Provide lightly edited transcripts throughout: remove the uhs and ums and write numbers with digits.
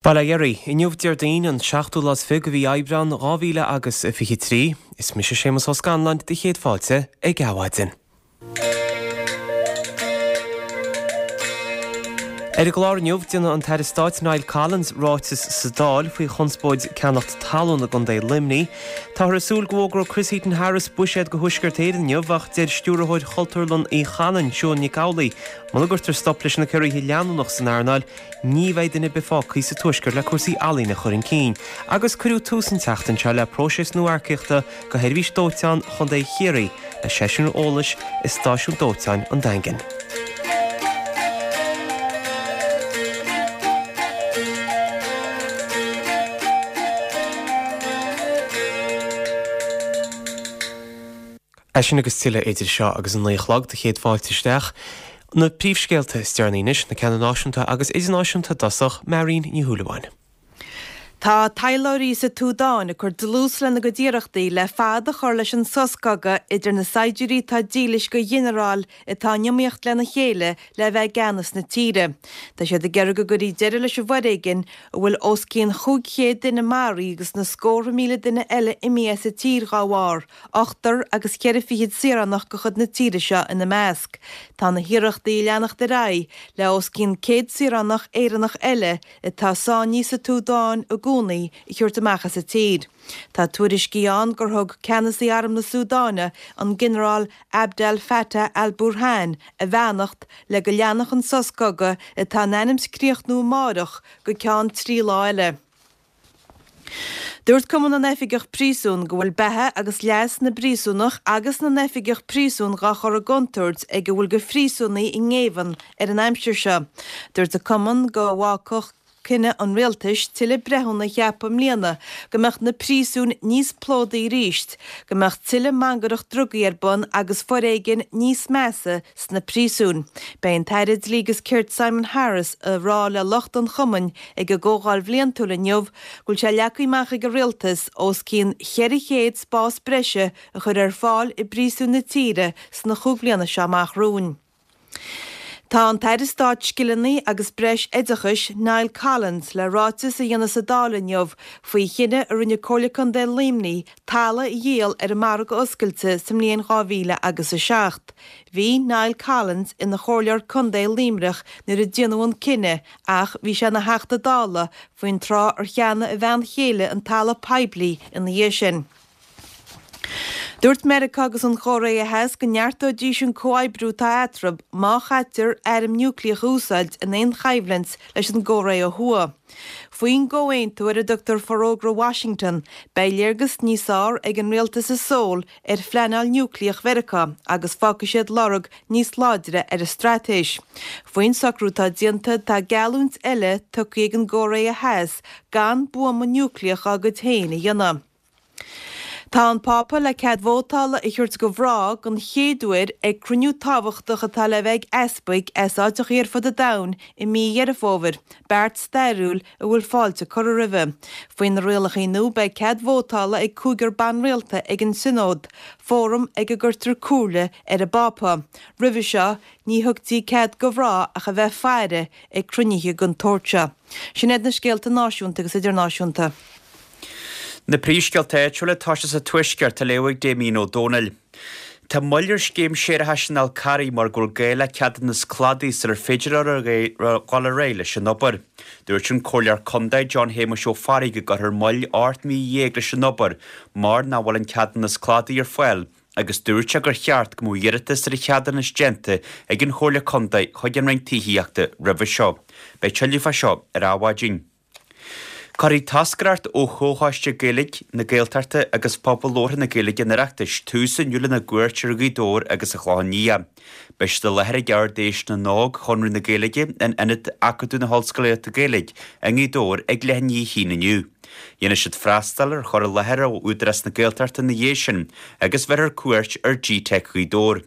Bail ó Dhia oraibh. Inniu Déardaoin, an seachtú lá is fiche de mhí Aibreán 2000 agus 23. Is mise Séamus Ó Scanláin do chéad fáilte ag Adhmhaidin. Ar an gclár inniu, déanfaidh an tAire Stáit Niall Collins ráiteas sa Dáil faoi chonspóid ceannacht talún i gContae Luimnigh. Táthar ag súil go bhfógróidh Chris Heaton-Harris buiséad do Thuaisceart Éireann inniu ach deir Stiúrthóir Chultúrlann Uí Chanáin, Siún Nic Amhlaoibh, muna gcuirtear stop leis na ciorruithe leanúnach san earnáil, Ní bheidh duine ar bith fágtha sa Tuaisceart le cúrsaí ealaíne a chur chun cinn, agus cuireadh tús an tseachtain seo le próiseas nua earcaíochta do Sheirbhís Dóiteáin Chontae Chiarraí le seisiún eolais i Stáisiún Dóiteáin an Daingin. É sin agus tuilleadh idir seo agus a 9 a chlog do chéad fáilte isteach. Na príomhscéalta is deireanaí anois, na ceanna náisiúnta agus idirnáisiúnta i dtosach, Máirín Ní Shúilleabháin. Tá taidhleoirí sa tSúdáin ag cur dlús lena gcuid iarrachtaí le fad a chur leis an sos cogaidh idir na saighdiúirí atá dílis do ghinearáil atá in iomaíocht lena chéile le bheith i gceannas na tíre. Tá siad ag iarraidh go gcuirfí deireadh leis an bhforéigean a bhfuil os cionn 500 duine maraithe agus na scórtha míle duine eile imithe as an tír dhá bharr. Ochtar agus cheithre fichid saoránach de chuid na tíre seo ina measc. Tá na hiarrachtaí ag leanacht ar aghaidh le os cionn 100 saoránach Éireannach eile atá sáinnithe sa tSúdáin i gcónaí a thabhairt amach as an tír. Tá tuairiscí ann gur thug ceannasaí arm na Súdáine, an Ginearál Abdel Fattah al-Burhan, a bheannacht le go leanfadh an sos cogaidh atá in ainm 's críochnú amáireach go ceann trí lá eile. Dúirt Cumann na nOifigeach Príosún go bhfuil beatha agus leas na bpríosúnach agus na n-oifigeach príosún dhá chur i gcontúirt ag a bhfuil de phríosúnaigh i ngéibheann ar an aimsir seo. Dúirt an Cumann go bhfágfadh cinneadh an Rialtais tuilleadh breithiúna a cheapadh i mbliana go mbeadh na príosúin níos plódaí arís, go mbeadh tuilleadh mangaireacht drugaí ar bun agus foréigean níos measa sna príosúin. Beidh an tAire Dlí agus Cirt Simon Harris ag rá le lucht an chumainn ag a gcomhdháil bhliantúil inniu go bhfuil sé leagtha amach ag an Rialtas os cionn 400 spás breise a chur ar fáil i bpríosúin na tíre sna chúig bliana seo amach romhainn. Tá an tAire Stáit Scileanna agus Breis Oideachais, Niall Collins, le ráiteas a dhéanamh sa Dáil inniu faoi chinneadh a rinne Comhairle Contae Luimnigh talamh a dhíol ar an margadh oscailte sa mbliain 2000 agus 7. Bhí Niall Collins ina chomhairleoir contae Luimneach nuair a déanadh an cinneadh ach bhí sé ina Theachta Dála faoin tráth ar cheannaigh a bhean chéile an talamh poiblí ina dhiaidh sin. Dúirt Meiriceá agus an Chóiré Theas go neartóidís an comhoibriú atá eatarthu má chaitear airm núicléach a úsáid in aon choimhlint leis an gCóiré ó Thuaidh. Faoin gcomhaontú ar a dtugtar Forógra Washington, beidh léargas níos fearr ag an rialtas i Seoul ar phleanáil núicléach Mheiriceá agus fágfaidh siad lorg níos láidre ar a straitéis. Faoin socrú atá déanta, tá geallúint eile tugtha ag an gCóiré Theas gan buama núicléach dá gcuid féin a dhéanamh. Tá an Pápa le cead vótála a thabhairt do mhná den chéad uair ag cruinniú tábhachtach atá le bheith ag easpaig as áiteachaí ar fud an domhain i mí Dheireadh Fómhair, beart stairiúil a bhfuil fáilte curtha roimhe. Faoi na rialachaí nua beidh cead vótála ag cúigear ban rialta ag an Sionód, fóram ag a gcuirtear comhairle ar an bPápa. Roimhe seo ní thugtaí cead do mhná ach a bheith ag faire ag cruinnithe den tsórt seo. Sin iad na scéalta náisiúnta agus idirnáisiúnta. Na príomhscéalta áitiúla ag toiseacht sa Tuaisceart á léamh ag Damien Ó Dónaill. Tá moill ar scéim séarachais an Fhál Carraigh mar go bhfuil gá le ceadúnas cladaigh sular féidir leo dhul ar aghaidh leis an obair. Dúirt an Comhairleoir Contae John Shéamuis Ó Fearraigh go gcuirfear moill 18 mí leis an obair mar nach bhfuil an ceadúnas cladaigh ar fáil agus dúirt sé gur cheart go mbeadh iarratas ar an cheadúnas déanta ag an Chomhairle Contae chuig an Roinn Tithíochta roimhe seo. Beidh tuilleadh fá seo ar Adhmhaidin. Cuirfidh toscaireacht ó Chomhchoiste Gaeilge na Gaeltachta agus Phobal Labhartha na Gaeilge an Oireachtais tús inniu lena gcuairt ar Ghaoth Dobhair agus an Chlochán Liath. Beidh siad i láthair ag Ard-Fheis na nÓg Chonradh na Gaeilge in Ionad Acadúil na hOllscolaíochta Gaeilge i nGaoth Dobhair ag leath i ndiaidh a haon inniu. Dhéanfaidh siad freastal ar chur i láthair ó Údarás na Gaeltachta ina dhiaidh sin agus bheirfear cuairt ar GTeic Ghaoth Dobhair.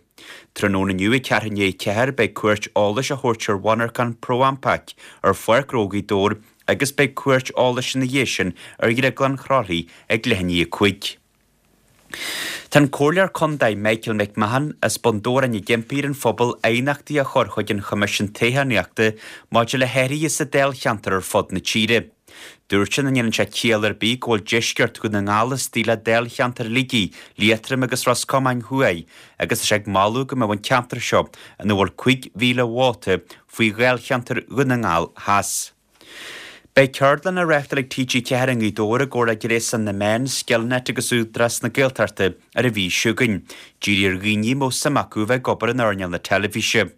Tráthnóna inniu ag ceathrú i ndiaidh 4 beidh cuairt eolais á thabhairt ar mhonarchan ProAmpac ar Pháirc Ghnó Ghaoth Dobhair agus beidh cuairt eolais ina dhiaidh sin ar Dhrioglann Chroithlí ag leath i ndiaidh 5. Tá an Comhairleoir Contae Michael McMahon as Bun Dobhráin ag impí ar an phobal aighneachtaí a chur chuig an Choimisiún Toghchánaíochta maidir le hathruithe sa dáilcheantar ar fud na tíre. Dúirt sé nach ndéanann sé ciall ar bith go bhfuil deisceart Dhún na nGall istigh le dáilcheantar Shligigh, Liatroim agus Ros Comáin Thuaidh agus tá sé ag moladh go mbeadh an ceantar seo, ina bhfuil 5,000 vóta, faoi dháilcheantar Dhún na nGall Theas. Beidh ceardlann á reáchtáil ag TG4 i nGaoth Dobhair i gcomhar le Gréasán na Meán, Skillnet agus Údarás na Gaeltachta ar an mhí seo chugainn, dírithe ar dhaoine a mbeadh suim acu a bheith ag obair in earnáil na teilifíse.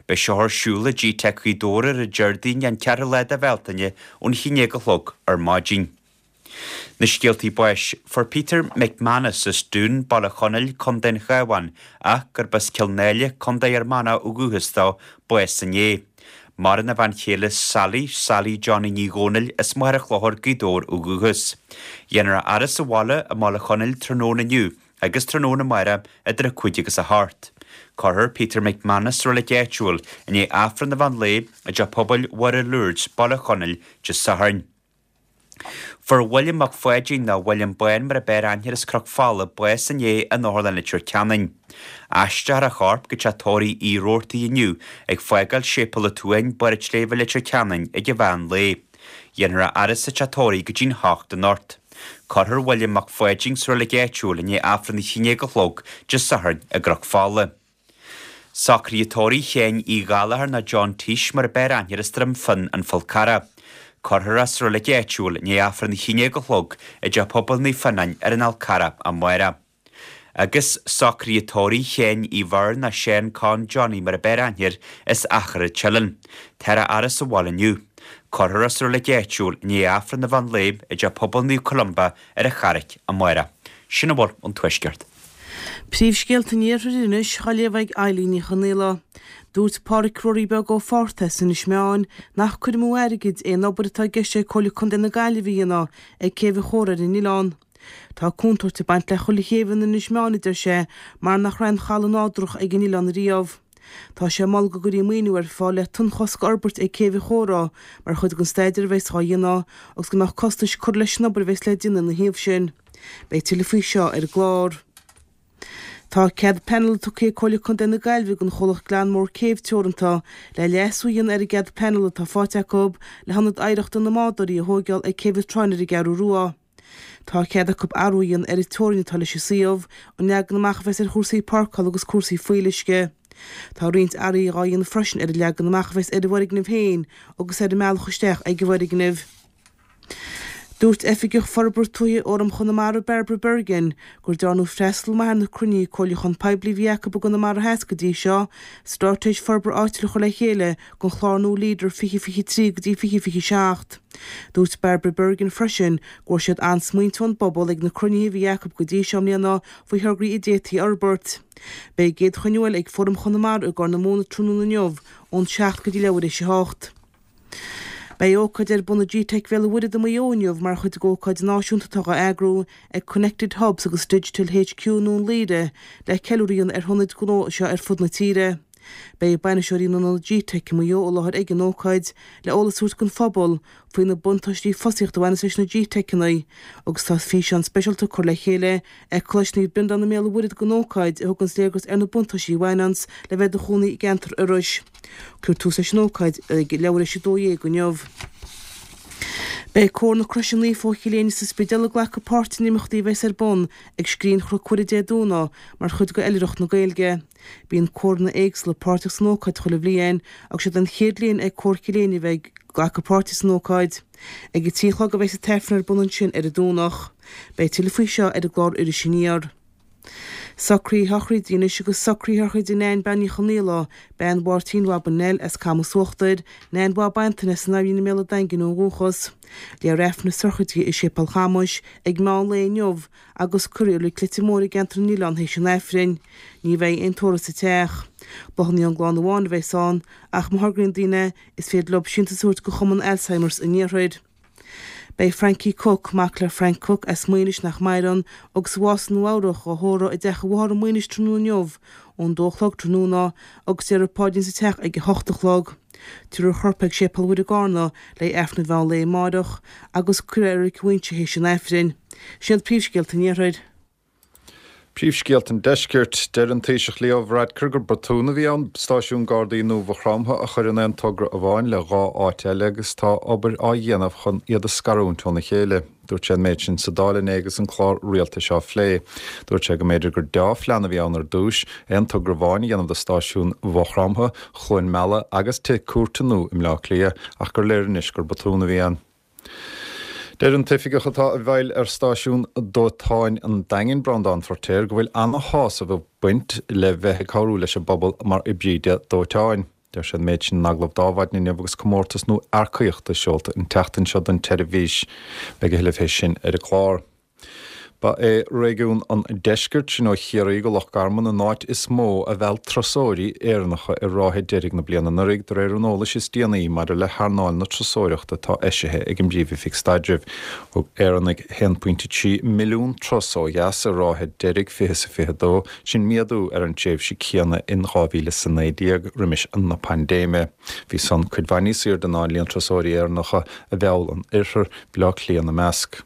Beidh seo ar siúl i GTeic Ghaoth Dobhair ar an Déardaoin an ceathrú lá de Bhealtaine ón haon déag a chlog ar maidin. Na scéaltaí báis. Fuair Peter McManus as Dún, Baile Chonaill, Co. an Chabháin, ach gurb as Cill Náile, Co. Fhear Manach ó dhúchas dó, bás inné. Maireann a bhean chéile Sally, Sally Johnny Ní Dhomhnaill, as Machaire Chlochair, Gaoth Dobhair ó dhúchas. Dhéanfar a fhaire sa bhaile i mBaile Chonaill tráthnóna inniu agus tráthnóna amárach idir 5 agus 8. Cuirfear Peter McManus sa reilig áitiúil i ndiaidh Aifreann an mheán lae i dTeach Pobail Mhuire Lourdes, Baile Chonaill, Dé Sathairn. Fuair William Mac Pháidín, nó William Bán mar a b'fhearr aithne air as Cnoc Fola, bás inné in Otharlann Leitir Ceanainn. Aistreofar a chorp go teach tórraimh Uí Robhartaigh inniu, ag fágáil Séipéal an tSuain, Barr an tSléibhe Leitir Ceanainn ag an mheán lae. Dhéanfar a fhaire sa teach tórraimh go dtí'n hocht anocht. Cuirfear William Mac Pháidín sa reilig áitiúil i ndiaidh Aifreann a haon déag a chlog Dé Sathairn i gCnoc Fola. Socruithe tórraimh Sheáin Uí Ghallachair nó John Teach mar a b'fhearr aithne air as Droim Fionn, An Fál Carrach. Cuirfear é sa reilig áitiúil i ndiaidh Aifreann a haon déag a chlog i dTeach Pobail Naomh Fionnáin ar an Fhál Carrach amárach. Agus socruithe tórraimh Sheáin Uí Bheirn nó Seán Con Johnny mar a b'fhearr aithne air as Achadh an tSileann. Táthar á fhaire sa bhaile inniu. Cuirfear é sa reilig áitiúil i ndiaidh Aifreann an mheán lae i dTeach Pobail Naomh Columba ar an Charraic amárach. Sin a bhfuil ón Tuaisceart. Príomhscéalta an Iarthair anois á léamh ag Eilín Ní Chonaola. Dúirt Pádhraic Ruairí Beag ó Phortás Inis Meáin nach cur amú airgid é an obair atá i gceist ag Comhairle Contae na Gaillimhe a dhéanamh ag Céibh an Chóra ar an oileán. Tá contúirt ag baint le chuile chéibh in Inis Meáin, a deir sé, mar nach raibh aon chaladh nádúrach ag an oileán riamh. Tá sé ag moladh go gcuirfí maoiniú ar fáil le tonnchosc a fhorbairt ag Céibh an Chóra mar chuid den staidéar a bheas dhá dhéanamh agus go mbeadh costais curtha leis an obair a bheas le déanamh ina thaobh sin. Beidh tuilleadh faoi seo ar an gclár. Tá cead pleanála tugtha ag Comhairle Contae na Gaillimhe don chomhlacht Glanmore Cave Teoranta le leasú a dhéanamh ar an gcead pleanála atá faighte acu le hIonad Oidhreachta na mBádóirí a thóigeáil ag Céibh an tSrutháin ar an gCeathrú Rua. Tá cead acu athrú a dhéanamh ar an teorainn atá leis an suíomh, an leagan amach a bheas ar chúrsaí páirceála agus cúrsaí fuíolluisce. Tá roinnt athruithe dhá dhéanamh freisin ar an leagan amach a bheas ar an bhfoirgneamh féin agus ar an mbealach isteach ag an bhfoirgneamh. Dúirt Oifigeach Forbartha Tuaithe Fhóram Chonamara Barbara Bergin gur dearnadh freastal maith ar na cruinnithe comhairliúcháin poiblí a bhí acu i gConamara Theas go dtí seo, Straitéis Forbartha Áitiúil a chur le chéile don chlár nua Leader 2023 go dtí 2027. Dúirt Barbara Bergin freisin go bhfuair siad an-smaointe ón bpobal ag na cruinnithe a bhí acu go dtí seo i mbliana faoi thograí a d'fhéadfaí a fhorbairt. Beidh a gcéad chruinniú eile ag Fóram Chonamara i gCorr na Móna tráthnóna inniu ón 7 go dtí leathuair théis a hocht. Beidh ócáid ar bun i GTeic Bhéal an Mhuirthead i Maigh Eo inniu mar chuid d'ócáid náisiúnta atá á eagrú ag Connected Hubs agus Digital HQ i nDún Laoghaire le ceiliúradh a dhéanamh ar hionaid gnó seo ar fud na tíre. Beidh bainisteoirí na n-ionad GTeic i Maigh Eo i láthair ag an ócáid le eolas a thabhairt don phobal faoi na buntáistí fostaíochta a bhaineas leis na GTeiceanna agus tá físeán speisialta curtha le chéile ag Coláiste Naomh Breandán i mBéal an Mhuirthead don ócáid a thuganns léargas ar na buntáistí a bhaineanns le bheith i do chónaí i gceantar Iorrais. Cuirfear tús leis an ócáid ag leathuair théis 12 inniu. Beidh Cór na Croise Naofa ó Chill Éinne sa Spidéal ag glacadh páirt in imeachtaí a bheas ar bun ag Scrín Chnoc Mhuire Dé Domhnaigh mar chuid de Oilithreacht na Gaeilge. Bíonn córanna éagsúla páirteach san ócáid chuile bhliain agus siod an chéad bhliain ag Cór Chill Éinne a bheith ag glacadh páirte san ócáid. Ag a 3 a chlog a bheas an tAifreann ar bun ansin ar an Domhnach. Beidh tuilleadh faoi seo ar an gclár Iris Aniar. Socruithe sochraide anois agus socruithe sochraide Nain Bean Uí Chonaola, bean Mháirtín Bhab an Nell as Camas Uachtair, Nain Bhab Antaine as an Aimhín i mBéal an Daingin ó dhúchas. Léifear Aifreann na sochraide i Séipéal Chamais ag meán lae inniu agus cuirfear í i Reilig Leitir Móir i gceantar na nOileán théis an Aifrinn. Ní bheidh aon tórramh sa teach. Bláthanna ón gclann amháin a bheas ann ach má thograíonn daoine is féidir leo síntiús a thabhairt go Chumann Alzheimer's an Iarthair. Beidh Frankie Cooke, mac le Frank Cooke as Maínis nach maireann, agus a bhásaigh i Nua Eabhrach, á thórramh i dteach a mháthar i Maínis tráthnóna inniu ón dó a chlog tráthnóna agus déarfar paidrín sa teach ag a hocht a chlog. Tabharfar a chorp ag Séipéal Mhuire i gCarna le haghaidh Aifreann an mheán lae amáireach agus cuirfear é i Reilig an Mhuinseo théis an Aifrinn. Sin iad príomhscéalta an Iarthair. Príomhscéalta an Deiscirt, Deir an Taoiseach Leo Varadkar gur botún a bhí ann stáisiún Gardaí nua Mhaigh Chromtha a chur in aon togra amháin le 2 áit eile agus tá obair á dhéanamh chun iad a scarúint óna chéile. Dúirt sé an méid sin sa Dáil inné agus an clár rialtais á phlé. Dúirt sé go mb'fhéidir gur deá-phlean a bhí ann ar dtús, aon togra amháin a dhéanamh do stáisiún Mhaigh Chromtha, Chluain Meala agus tithe cúirte nua i mBleá Cliath ach gur léir anois gur botún a bhí ann. Deir an t-oifigeach atá i bhfeighil ar stáisiún dóiteáin an Daingin, Breandán Feirtéar, go bhfuil ana-shásamh ag baint le bheith ag cabhrú leis an bpobal mar oibrí dóiteáin. Deir sé an méid sin in agallamh d'Adhmhaidin inniu agus comórtas nua earcaíochta seolta an tseachtain seo don tseirbhís. Beidh a thuilleadh fé sin ar an gclár. Ba é réigiún an Deiscirt, sin ó Chiarraí go Loch Garman, an áit is mó a mheall turasóirí Éireannacha i ráithe deiridh na bliana anuraidh, de réir an eolais is déanaí maidir le hearnáil na turasóireachta atá eisithe ag an bPríomh-Oifig Staidrimh. Thug Éireannaigh 1.3 milliún turas ó dheas i ráithe deiridh 2022, sin méadú ar an tréimhse céanna in 2019, roimis na paindéime. Bhí san cuid mhaith níos airde ná an líon turasóirí Éireannacha a mheall an Oirthear, Baile Átha Cliath ina measc.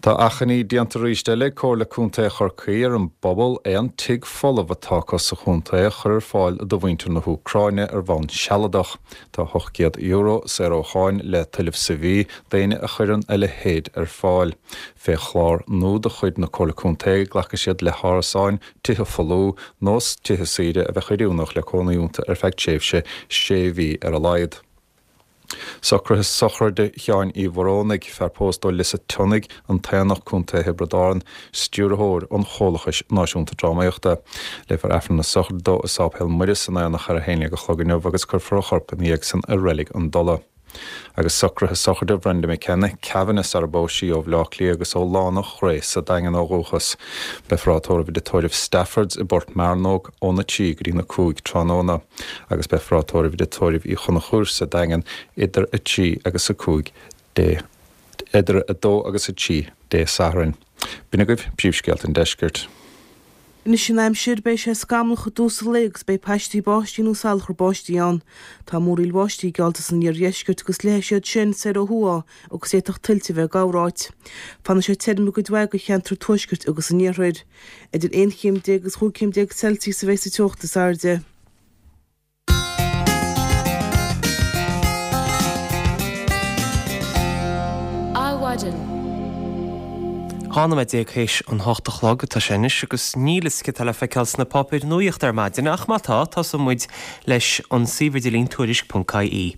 Tá achainí déanta arís eile ag Comhairle Contae Chorcaí ar an bpobal aon tigh folamh atá acu sa chontae a chur ar fáil do mhuintir na hÚcráine ar bhonn sealadach. Tá €800 saor ó cháin le tuilleamh sa mhí d'éinne a chuireann a leithéid ar fáil. Fé chlár nua de chuid na Comhairle Contae glacfaidh siad le hárasáin, tithe folmha nó tithe saoire a bheadh oiriúnach le cónaí iontu ar feadh tréimhse sé mhí ar a laghad. Socruithe sochraide Sheáin Uí Mhorónaigh, fear pósta ó Lios a' tSionnaigh, An tAonach, Co. Thiobraid Árann, Stiúrthóir an Chomhlachais Náisiúnta Drámaíochta. Léifear Aifreann na Sochraide dó i Sáipéal Muire san Aonach ar a haon dhéag a chlog inniu agus cuirfear a chorp ina dhiaidh san i Reilig an Dola. Agus socruithe sochraide Bhrenda McKenna, Kavanagh sara bpós sí ó Bhleá Cliath agus ó Lána Ghrae sa Daingean ó dhúchas. Beifear á tórramh i dtórramh Staffords i bPort Mearnóg óna 3 go dtí na 5 tráthnóna. agus beifear á tórramh i dtigh tórraimh Uí Chonchúir sa Daingean idir 3 agus 5 Dé idir 2 agus 3 Dé Sathairn. B'in agaibh príomhscéalta an deiscirt. Anois an aimsir, beidh sé scamallach i dtús an lae agus beidh paistí báistí nó salachar báistí ann. Tá múraíl bháistí geallta san iardheisceart agus leathfaidh siad sin soir ó thuaidh agus d'fhéadfadh tuilte a bheith i gcorráit. Fanfaidh sé tirim i gcuid mhaith de cheantar an tuaiscirt agus an iarthair. Idir 11 chéim agus 15 chéim Celsius a bheidh sa teocht is airde. Adhmhaidin. 12 nóiméad théis an hocht a chlog atá sé anois agus níl fhios céard atá le feiceáil sna páipéir nuachta ar maidin ach má tá, tosóidh muid leis an suíomh idirlín tuairisc.ie.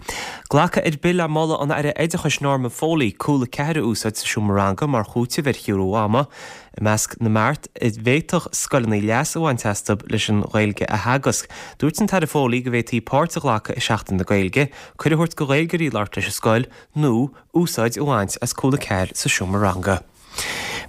Glacadh ar bith le moladh an Aire Oideachais Norma Foley cúla ceathair a úsáid sa seomra ranga mar chúiteamh ar chiorrú ama. I measc na mbeart a bhféadfadh scoileanna leas a bhaint astu leis an Ghaeilge a theagasc, dúirt an tAire Foley go bhféadfaí páirt a ghlacadh i Seachtain na Gaeilge, cuireadh a thabhairt do Ghaeilgeoirí labhairt leis an scoil nó úsáid a bhaint as cúla 4 sa seomra ranga.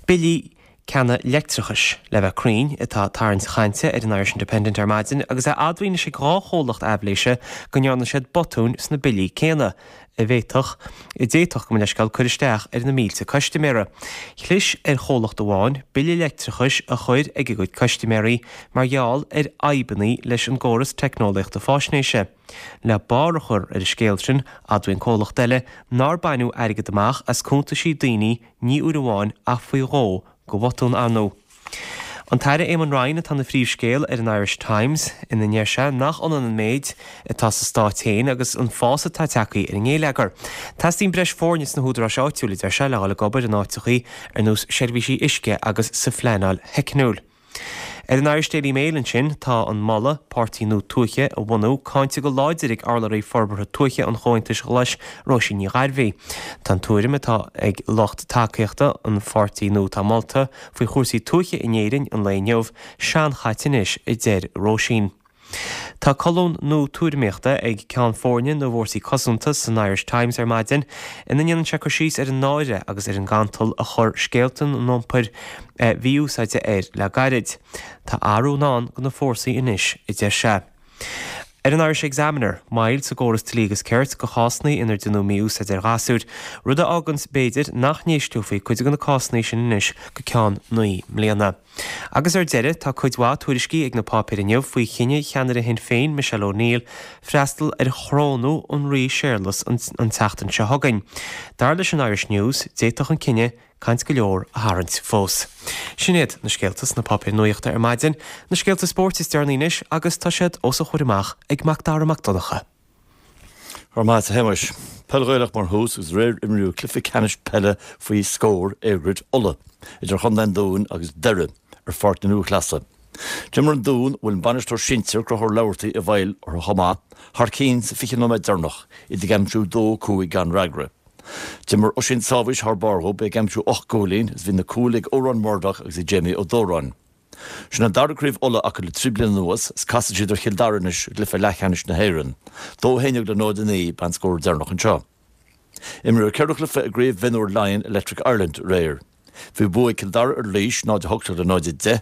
Billí ceannaigh leictreachais, le bheith cruinn, atá ag tarraingt chainte ar an Irish Independent ar maidin agus é admhaithe anois ag 2 chomhlacht aibhléise go ndearna siad botúin sna billí céanna. a bhféadfadh, a d'fhéadfadh, gabh mo leithscéal, cur isteach ar na mílte custaiméara. Chlis ar chomhlacht amháin bille leictreachais a chur ag a gcuid custaiméirí mar gheall ar fhadhbanna leis an gcóras teicneolaíochta faisnéise. Le barr a chur ar an scéal sin, admhaíonn comhlacht eile nár baineadh airgead amach as cuntaisí daoine ní uair amháin ach faoi dhó de bhotún, ar ndóigh. An tAire Eamon Ryan atá ina phríomhscéal ar an Irish Times, ina ndeir sé nach ionann an méid atá sa stát féin agus an fás atá tagtha ar an ngéilleagar. Teastaíonn breis foirne sna húdaráis áitiúil, a deir sé, le dhul ag obair in áiteachaí ar nós seirbhísí uisce agus sa phleanáil theicniúil. Ar an Irish Daily Mail ansin, tá an moladh páirtí nua tuaithe a bhunú cáinte go láidir ag urlabhraí forbartha tuaithe an Chomhaontais Ghlais, Róisín Ní Ghairbhí. Tá an tuairim atá ag lucht tacaíochta an pháirtí nua atá molta faoi chúrsaí tuaithe in Éirinn an lae inniu seanchaite anois, a deir Róisín. Tá colún nua tuairimíochta ag Ceann Foirne na bhFórsaí Cosanta san Irish Times ar maidin ina ndéanann sé cur síos ar an náire agus ar an gcantal a chuir scéalta an iompair mhí-úsáide air le gairid. Tá athrú i ndán do na fórsaí anois, a deir sé. Ar an Irish Examiner, moill sa gcóras dlí agus cirt do chásanna inar deineadh mí-úsáid ar ghasúir, rud a fháganns, b'fhéidir, nach n-éisteofaí cuid de na cásanna sin anois go ceann 9 mbliana. Agus ar deireadh, tá cuid mhaith tuairiscí ag na páipéir inniu faoi chinneadh cheannaire Shinn Féin, Michelle O'Neill, freastal ar chorónú an Rí Séarlas an tseachtain seo chugainn. Dar leis an Irish News, d'fhéadfadh an cinneadh. Caint go leor a tharraingt fós. Sin iad na scéalta sna páipéir nuachta ar maidin, na scéalta spóirt is deireanaí anois agus tá siad os a chomhair amach ag Macdara Mac Donncha. Go raibh maith agat a Shéamais. Peil Ghaelach mar thús agus aréir imríodh cluiche ceannais peile faoi scór EirGrid Uladh idir Chontae an Dúin agus Doire ar Pháirc na Lúthchleasa. D'imir an Dún, a bhfuil an bainisteoir sinsir Conchúr Laverty i bhfeighil orthu chomh maith, thar cinn sa 20 nóiméad deireanach, iad ag aimsiú 2-5 gan fhreagra. D'imir Oisín Sábhís thar barr dhób, é ag aimsiú 8 gcúilín agus bhí na cúil ag Odhrán Murdock agus ag Jamie Ó Dóráin. Sin an dara craobh Uladh acu le 3 bliana anuas is casfaidh siad ar Chill Dara anois i gcluiche leathcheannais na hÉireann. 2 11 le 0 9 ab ea an scór deireanach anseo. Imríodh ceithre chluiche i gCraobh Mhionúir Laighean Electric Ireland aréir. Bhí bua ag Cill Dara ar Laois, 0 18 le 0 10,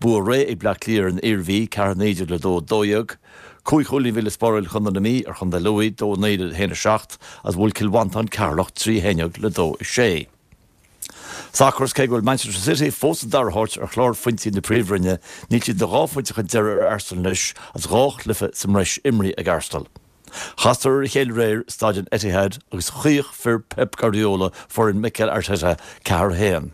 bua réidh ag Bleá Cliath ar an Iarmhí, 4 19 le 2 12, Cúig chúilín a bhí le spáráil ag Contae na Mí ar Chontae Lú, 2 9 le 1 7, agus bhuail Cill Mhantáin Ceatharlach 3 11 le 2 6. Sacar Is cé go bhfuil Manchester City fós sa dara háit ar chlár phointí na Príomhroinne, níl siad ach dhá phointe chun deiridh ar Arsenal anois agus dhá chluiche sa mbreis imrithe ag Arsenal. Chasadar ar a chéile aréir i Staid an Etihad agus chaoch fir Pep Guardiola foireann Mikel Arteta 4 1.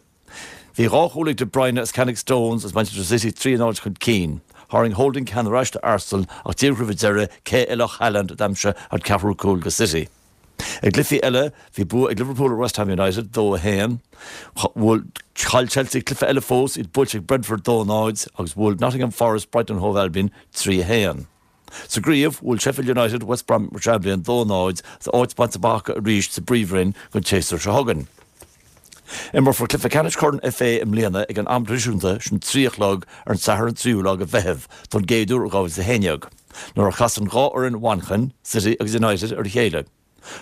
Bhí dhá chúl ag De Bruyne as ceann ag Stones agus Manchester City 3 0 chun cinn. Tharraing Holding ceann ar ais do Arsenal ach díreach roimh an deireadh, cé eile ach Haaland a d'aimsigh an ceathrú cúl do City. I gcluichí eile, bhí bua ag Liverpool ar West Ham United, 2 1. Bhuail Chaill Chelsea cluiche eile fós, iad buailte ag Brentford 2 0, agus bhuail Nottingham Forest Brighton and Hove Albion 3 1. Sa gcraobh, bhuail Sheffield United West Bromwich Albion 2 0 agus áit bainte amach acu arís sa bPríomhroinn don tséasúr seo chugainn. Imreofar cluiche ceannais Chorn FA i mbliana ag an am traidisiúnta, sin 3 a chlog ar an Satharn 3ú lá de Mheitheamh, don gcéad uair ó 2011, nuair a chasann dhá fhoireann Mhanchain, City agus United, ar a chéile.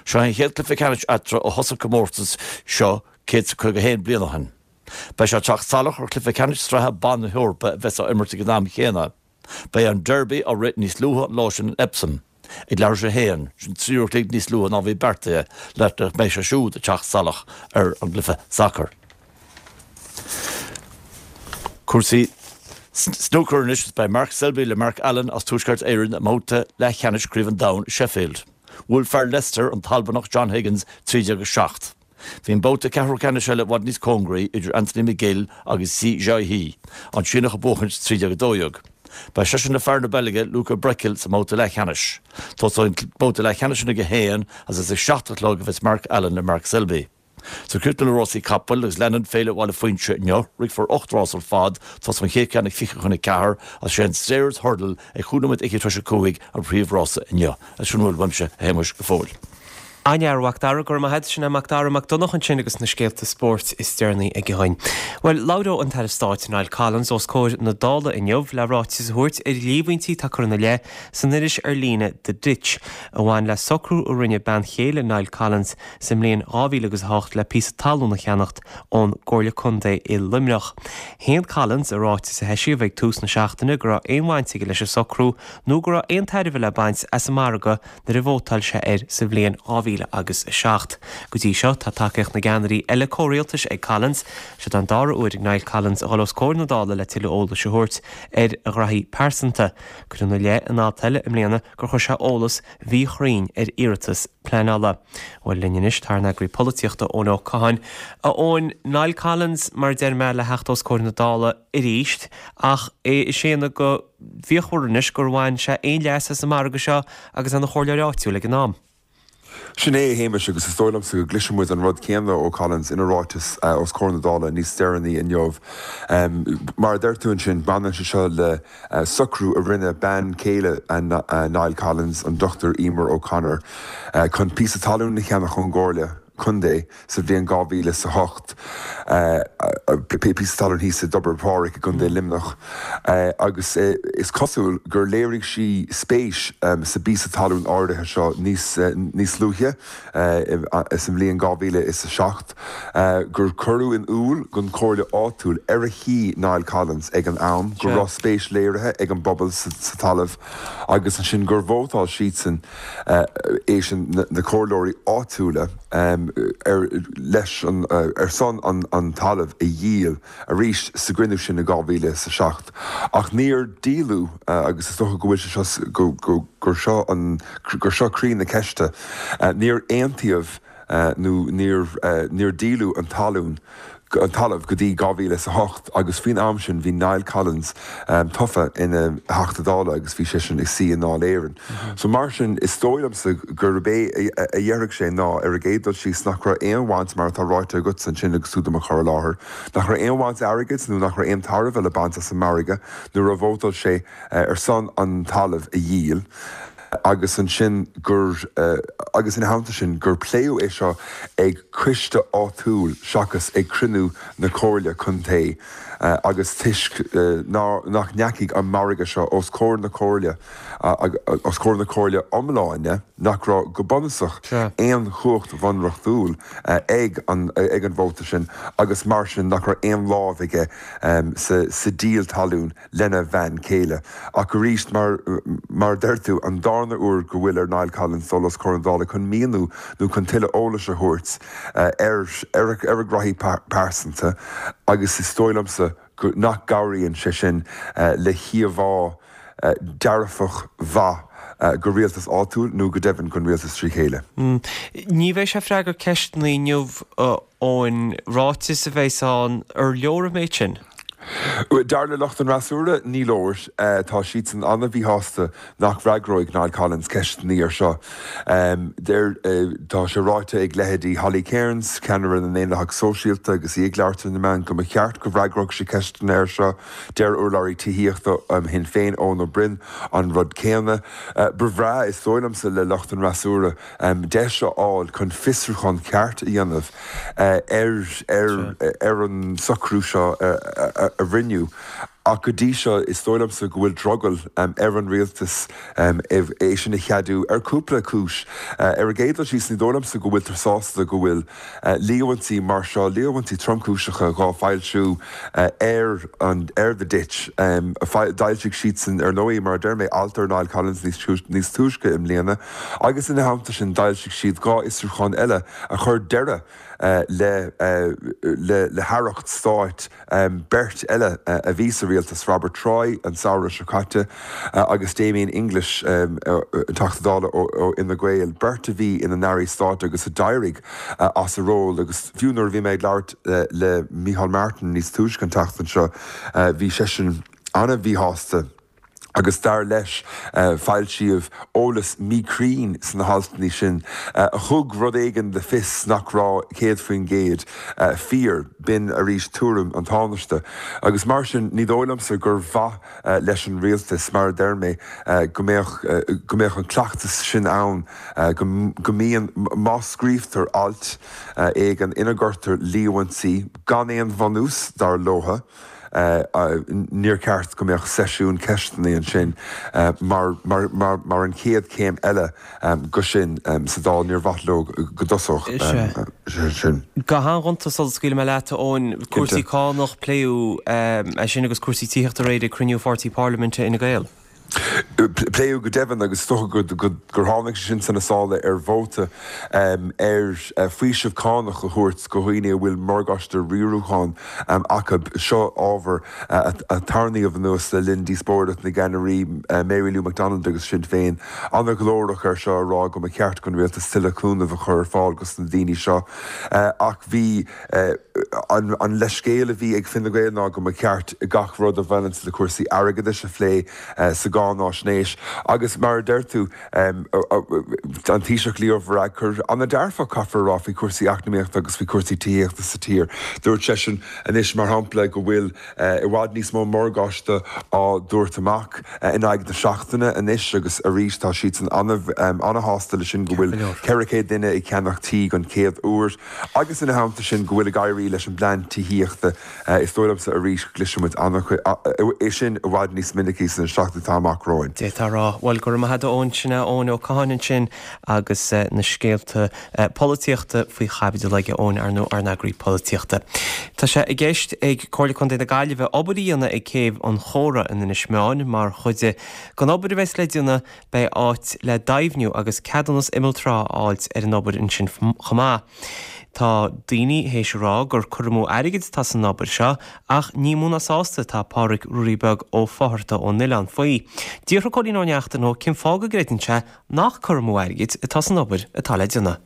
Seo é an chéad cluiche ceannais eatarthu ó thosaigh an comórtas seo 151 bliain ó shin. Beidh sé ag teacht salach ar chluiche ceannais sraithe ban na hEorpa a bheas á imirt ag an am chéanna. Beidh an Derby á rith níos luaithe an lá sin in Epsom, ag leathuair tar éis a haon, sin 3 uair a chloig níos luaithe ná a bhí beartaithe, le nach mbeidh sé siúd ag teacht salach ar an gcluiche sacair. Cúrsaí snúcair anois is beidh Mark Selby le Mark Allen as Tuaisceart Éireann i mbabhta leathcheannais Chraobh an Domhain i Sheffield. Bhuail fear Leicester, an tAlbanach John Higgins, 13 7. Bhí an babhta ceathrú ceannais eile i bhfad níos cóngaraí idir Anthony McGill agus Si Jiahui, an Síneach ag buachaint 13 12. Beidh seisean le fear na Beilge, Luca Brecel, sa mbabhta leathcheannais. Tosóidh an babhta leathcheannais sin ag a haon agus is ag 7 a chlog a bheas Mark Allen le Mark Selby. So críochnú le rásaí capaill agus leanann Féile Bhaile Phuinse inniu. Rithfear 8 rás ar fad, tosóidh an chéad cheann ag 20 chun 4 agus sé an Stayers Hurdle ag chúig nóiméad fhichead tar éis a 5 an príomhrása inniu. Agus sin a bhfuil uaimse, a Shéamuis, go fóill. An-fhear, a Mhac Dara, go raibh maith agat. Sin é Mac Dara Mac Donncha ansin agus na scéalta spóirt is deireanaí aige dhúinn. Bhuel, labhróidh an tAire Stáit Niall Collins os comhair na Dála inniu le ráiteas a thabhairt ar líomhaintí atá curtha ina leith san iris ar líne The Ditch a bhain le socrú a rinne bean chéile Niall Collins sa mbliain 2008 le píosa talún a cheannacht ón gComhairle Contae i Luimneach. Shéan Collins i ráiteas a heisíodh ag tús na seachtaine go raibh aon bhaint aige leis an socrú nó go raibh aon tairbhe le baint as an margadh nuair a vótáil sé air sa bhliain 2000 agus 7. Go dtí seo, tá tacaíocht na gceannairí eile comhrialtais ag Collins. Seo an dara huair ag Niall Collins a dhul os comhair na Dála le tuilleadh eolais a thabhairt ar a ghraithí pearsanta. Cuireadh ina leith in alt eile i mbliana gur chuir sé eolas mhíchruinn ar iarratas pleanála. Bhuel, linn anois tá ár n-eagraí polaitíochta, Eoin Ó Catháin. A Eoin, Niall Collins, mar a deir mé, le theacht os comhair na Dála arís, ach é ag séanadh go fíochmhar anois gur bhain sé aon leas as an margadh seo agus é ina chomhairleoir áitiúil ag an am. Sin é, a Shéamais, agus is dóigh liomsa go gcloisfidh muid an rud céanna ó Collins ina ráiteas os comhair na Dála níos deireanaí inniu. Mar a deir tú ansin, baineann sé seo le socrú a rinne bean chéile Niall Collins, an Dr Emer O'Connor, chun píosa talún a cheannach ón gComhairle Contae sa bhliain 2008, píosa talún thíos i dTobar Phádraig i gContae Luimneach, agus is cosúil gur léirigh sí spéis sa bpíosa talún áirithe seo níos luaithe sa mbliain 2007, gur cuireadh in iúl don chomhairle áitiúil ar a shuigh Niall Collins ag an am go raibh spéis léirithe ag an bpobal sa talamh agus ansin gur vótáil siadsan é sin na comhairleoirí áitiúla ar leis an ar son an talamh a dhíol arís sa gcruinniú sin i 2007 ach níor díoladh agus is dócha go bhfuil sé seo go go gur seo an gur seo croí na ceiste níor aontaíodh nó níor níor díoladh an talún. An talamh go dtí 2008 agus faoin am sin bhí Niall Collins tofa ina Theachta Dála agus bhí seisean ag suí i nDáil Éireann. So mar sin is dóigh liomsa gurb é a dhéarfadh sé ná ar an gcéad dul síos nach raibh aon bhaint mar atá ráite agatsa ansin agus tú do mo chur i láthair, nach raibh aon bhaint airgid nó nach raibh aon tairbhe le baint as an margadh nuair a vótáil sé ar son an talamh a dhíol. agus ansin gur, agus ina theannta sin, gur pléadh é seo ag coiste áitiúil seachas ag cruinniú na Comhairle Contae agus toisc nach ndeachaigh an margadh seo os comhair na Comhairle, os comhair na Comhairle iomláine, nach raibh, go bunúsach, aon chumhacht bhunreachtúil ag an ag an vóta sin agus mar sin nach raibh aon lámh aige sa díol talún. lena bhean chéile. Ach arís, mar mar a deir tú, an darna huair go bhfuil ar Niall Collins dul os comhair an Dála chun míniú nó chun tuilleadh eolais a thabhairt ar ar a ghraithí pearsanta agus is dóigh liomsa go nach gcabhraíonn sé sin le híomhá dearfach mhaith go rialtas áitiúil nó go deimhin don rialtas trí chéile. Ní bheidh sé ag freagairt ceisteanna inniu Eoin, ráiteas a bheas ann, ar leor an méid sin? Dar le lucht an fhreasúra, ní leor. Tá siadsan an-mhíshásta nach bhfreagróidh Niall Collins ceisteanna air seo. Deir, tá sé ráite ag leithéidí Holly Cairns, ceannaire na nDaonlathach Sóisialta agus í ag labhairt ar na meáin, go mba cheart go bhfreagródh sé ceisteanna air seo. Deir urlabhraí tithíochta Shinn Féin, Eoin Ó Broin, an rud céanna. Ba bhreá, is dóigh liomsa, le lucht an fhreasúra, deis a fháil chun fiosrúchán ceart a dhéanamh ar an socrú seo a rinneadh. Ach go dtí seo, is dóigh liomsa go bhfuil drogall ar an rialtas é sin a cheadú ar cúpla cúis. Ar an gcéad dul síos, ní dóigh liomsa go bhfuiltear sásta go bhfuil líomhaintí mar seo, líomhaintí tromchúiseacha dhá bhfoilsiú ar an, ar The Ditch. D'fhoilsigh siadsan, ar ndóigh, mar a deir mé, alt ar Niall Collins níos túisce i mbliana agus ina theannta sin d'fhoilsigh siad 2 fhiosrúchán eile a chuir deireadh le le haireacht stáit beirt eile a bhí sa rialtas, Robert Troy an samhradh seo caite agus Damien English, an Teachta Dála ó Fhine Gael, beirt a bhí ina n-airí stáit agus a d'éirigh as a ról agus fiú nuair a bhí mé ag labhairt le Micheál Martin níos túisce an tseachtain seo bhí seisean an-mhíshásta. agus dar leis, foilsíodh eolas míchruinn sna haltanna sin a thug rud éigin le fios nach raibh 100% fíor. B'in arís tuairim an Tánaiste. Agus mar sin, ní dóigh liomsa gur mhaith leis an rialtas, mar a deir mé, go mbeadh go mbeadh an cleachtas sin ann, go go mbíonn, má scríobhtar alt éigin ina gcuirtear líomhaintí gan aon bhunús, dar leotha, Níor cheart go mbeadh seisiún ceisteanna ansin mar mar an chéad chéim eile go sin sa Dáil. Níor mhaith leo go dtosódh sé sin. Go han-ghonta sula scaoilfidh mé leat, a Eoin, cúrsaí cánach, pléadh é sin agus cúrsaí tithíochta aréir ag cruinniú pháirtí parlaiminte Fhine Gael. Pléadh go deimhin, agus is dócha gur tháinig sé sin sna sála ar vóta ar faoiseamh cánach a thabhairt go dhaoine a bhfuil morgáiste riarúcháin acu. Seo ábhar a tarraingíodh anuas le linn díospóireacht na gceannairí, Mary Lou McDonald agus Sinn Féin an-ghlórach air seo, ag rá go mba cheart don rialtas tuilleadh cúnaimh a chur ar fáil dos na daoine seo. Ach bhí. An leithscéal a bhí ag Fine Gael ná go mba cheart gach rud a bhaineanns le cúrsaí airgeadais a phlé sa gcáináisnéis agus mar a deir tú, an Taoiseach Leo Varadkar an-dearfach, caithfear a rá, faoi chúrsaí eacnamaíochta agus faoi chúrsaí tithíochta sa tír. Dúirt seisean anois, mar shampla, go bhfuil i bhfad níos mó morgáiste á dtabhairt amach in aghaidh na seachtaine anois agus arís tá siadsan an-shásta leis sin go bhfuil 400 duine ag ceannach tí don chéad uair. Agus ina theannta sin, go bhfuil ag éirí leis an bplean tithíochta, is dóigh liomsa arís go gcloisfidh muid é sin i bhfad níos minicí sna seachtainí atá amach romhainn. D'fhéadfá a rá. Bhuel, go raibh maith agat a Eoin, sin é Eoin Ó Catháin ansin agus na scéalta polaitíochta faoi chaibidil aige, Eoin, ar ndóigh, ár n-eagraí polaitíochta. Tá sé i gceist ag Comhairle Contae na Gaillimhe obair a dhéanamh ag Céibh an Chóra in Inis Meáin mar chuid den obair a bheas le déanamh Beidh áit le deimhniú agus ceadúnas imeall trá a fháilt ar an obair ansin chomh maith. Tá daoine théis a rá gur cur amú airgid atá san obair seo ach ní mó ná sásta atá Pádraig Ruairí Beag Ó Fátharta ón Oileán faoi. D'fhiafraigh Cóilín Ó Neachtain dhó cén fáth go gcreideann sé nach cur amú airgid atá san obair atá le déanamh.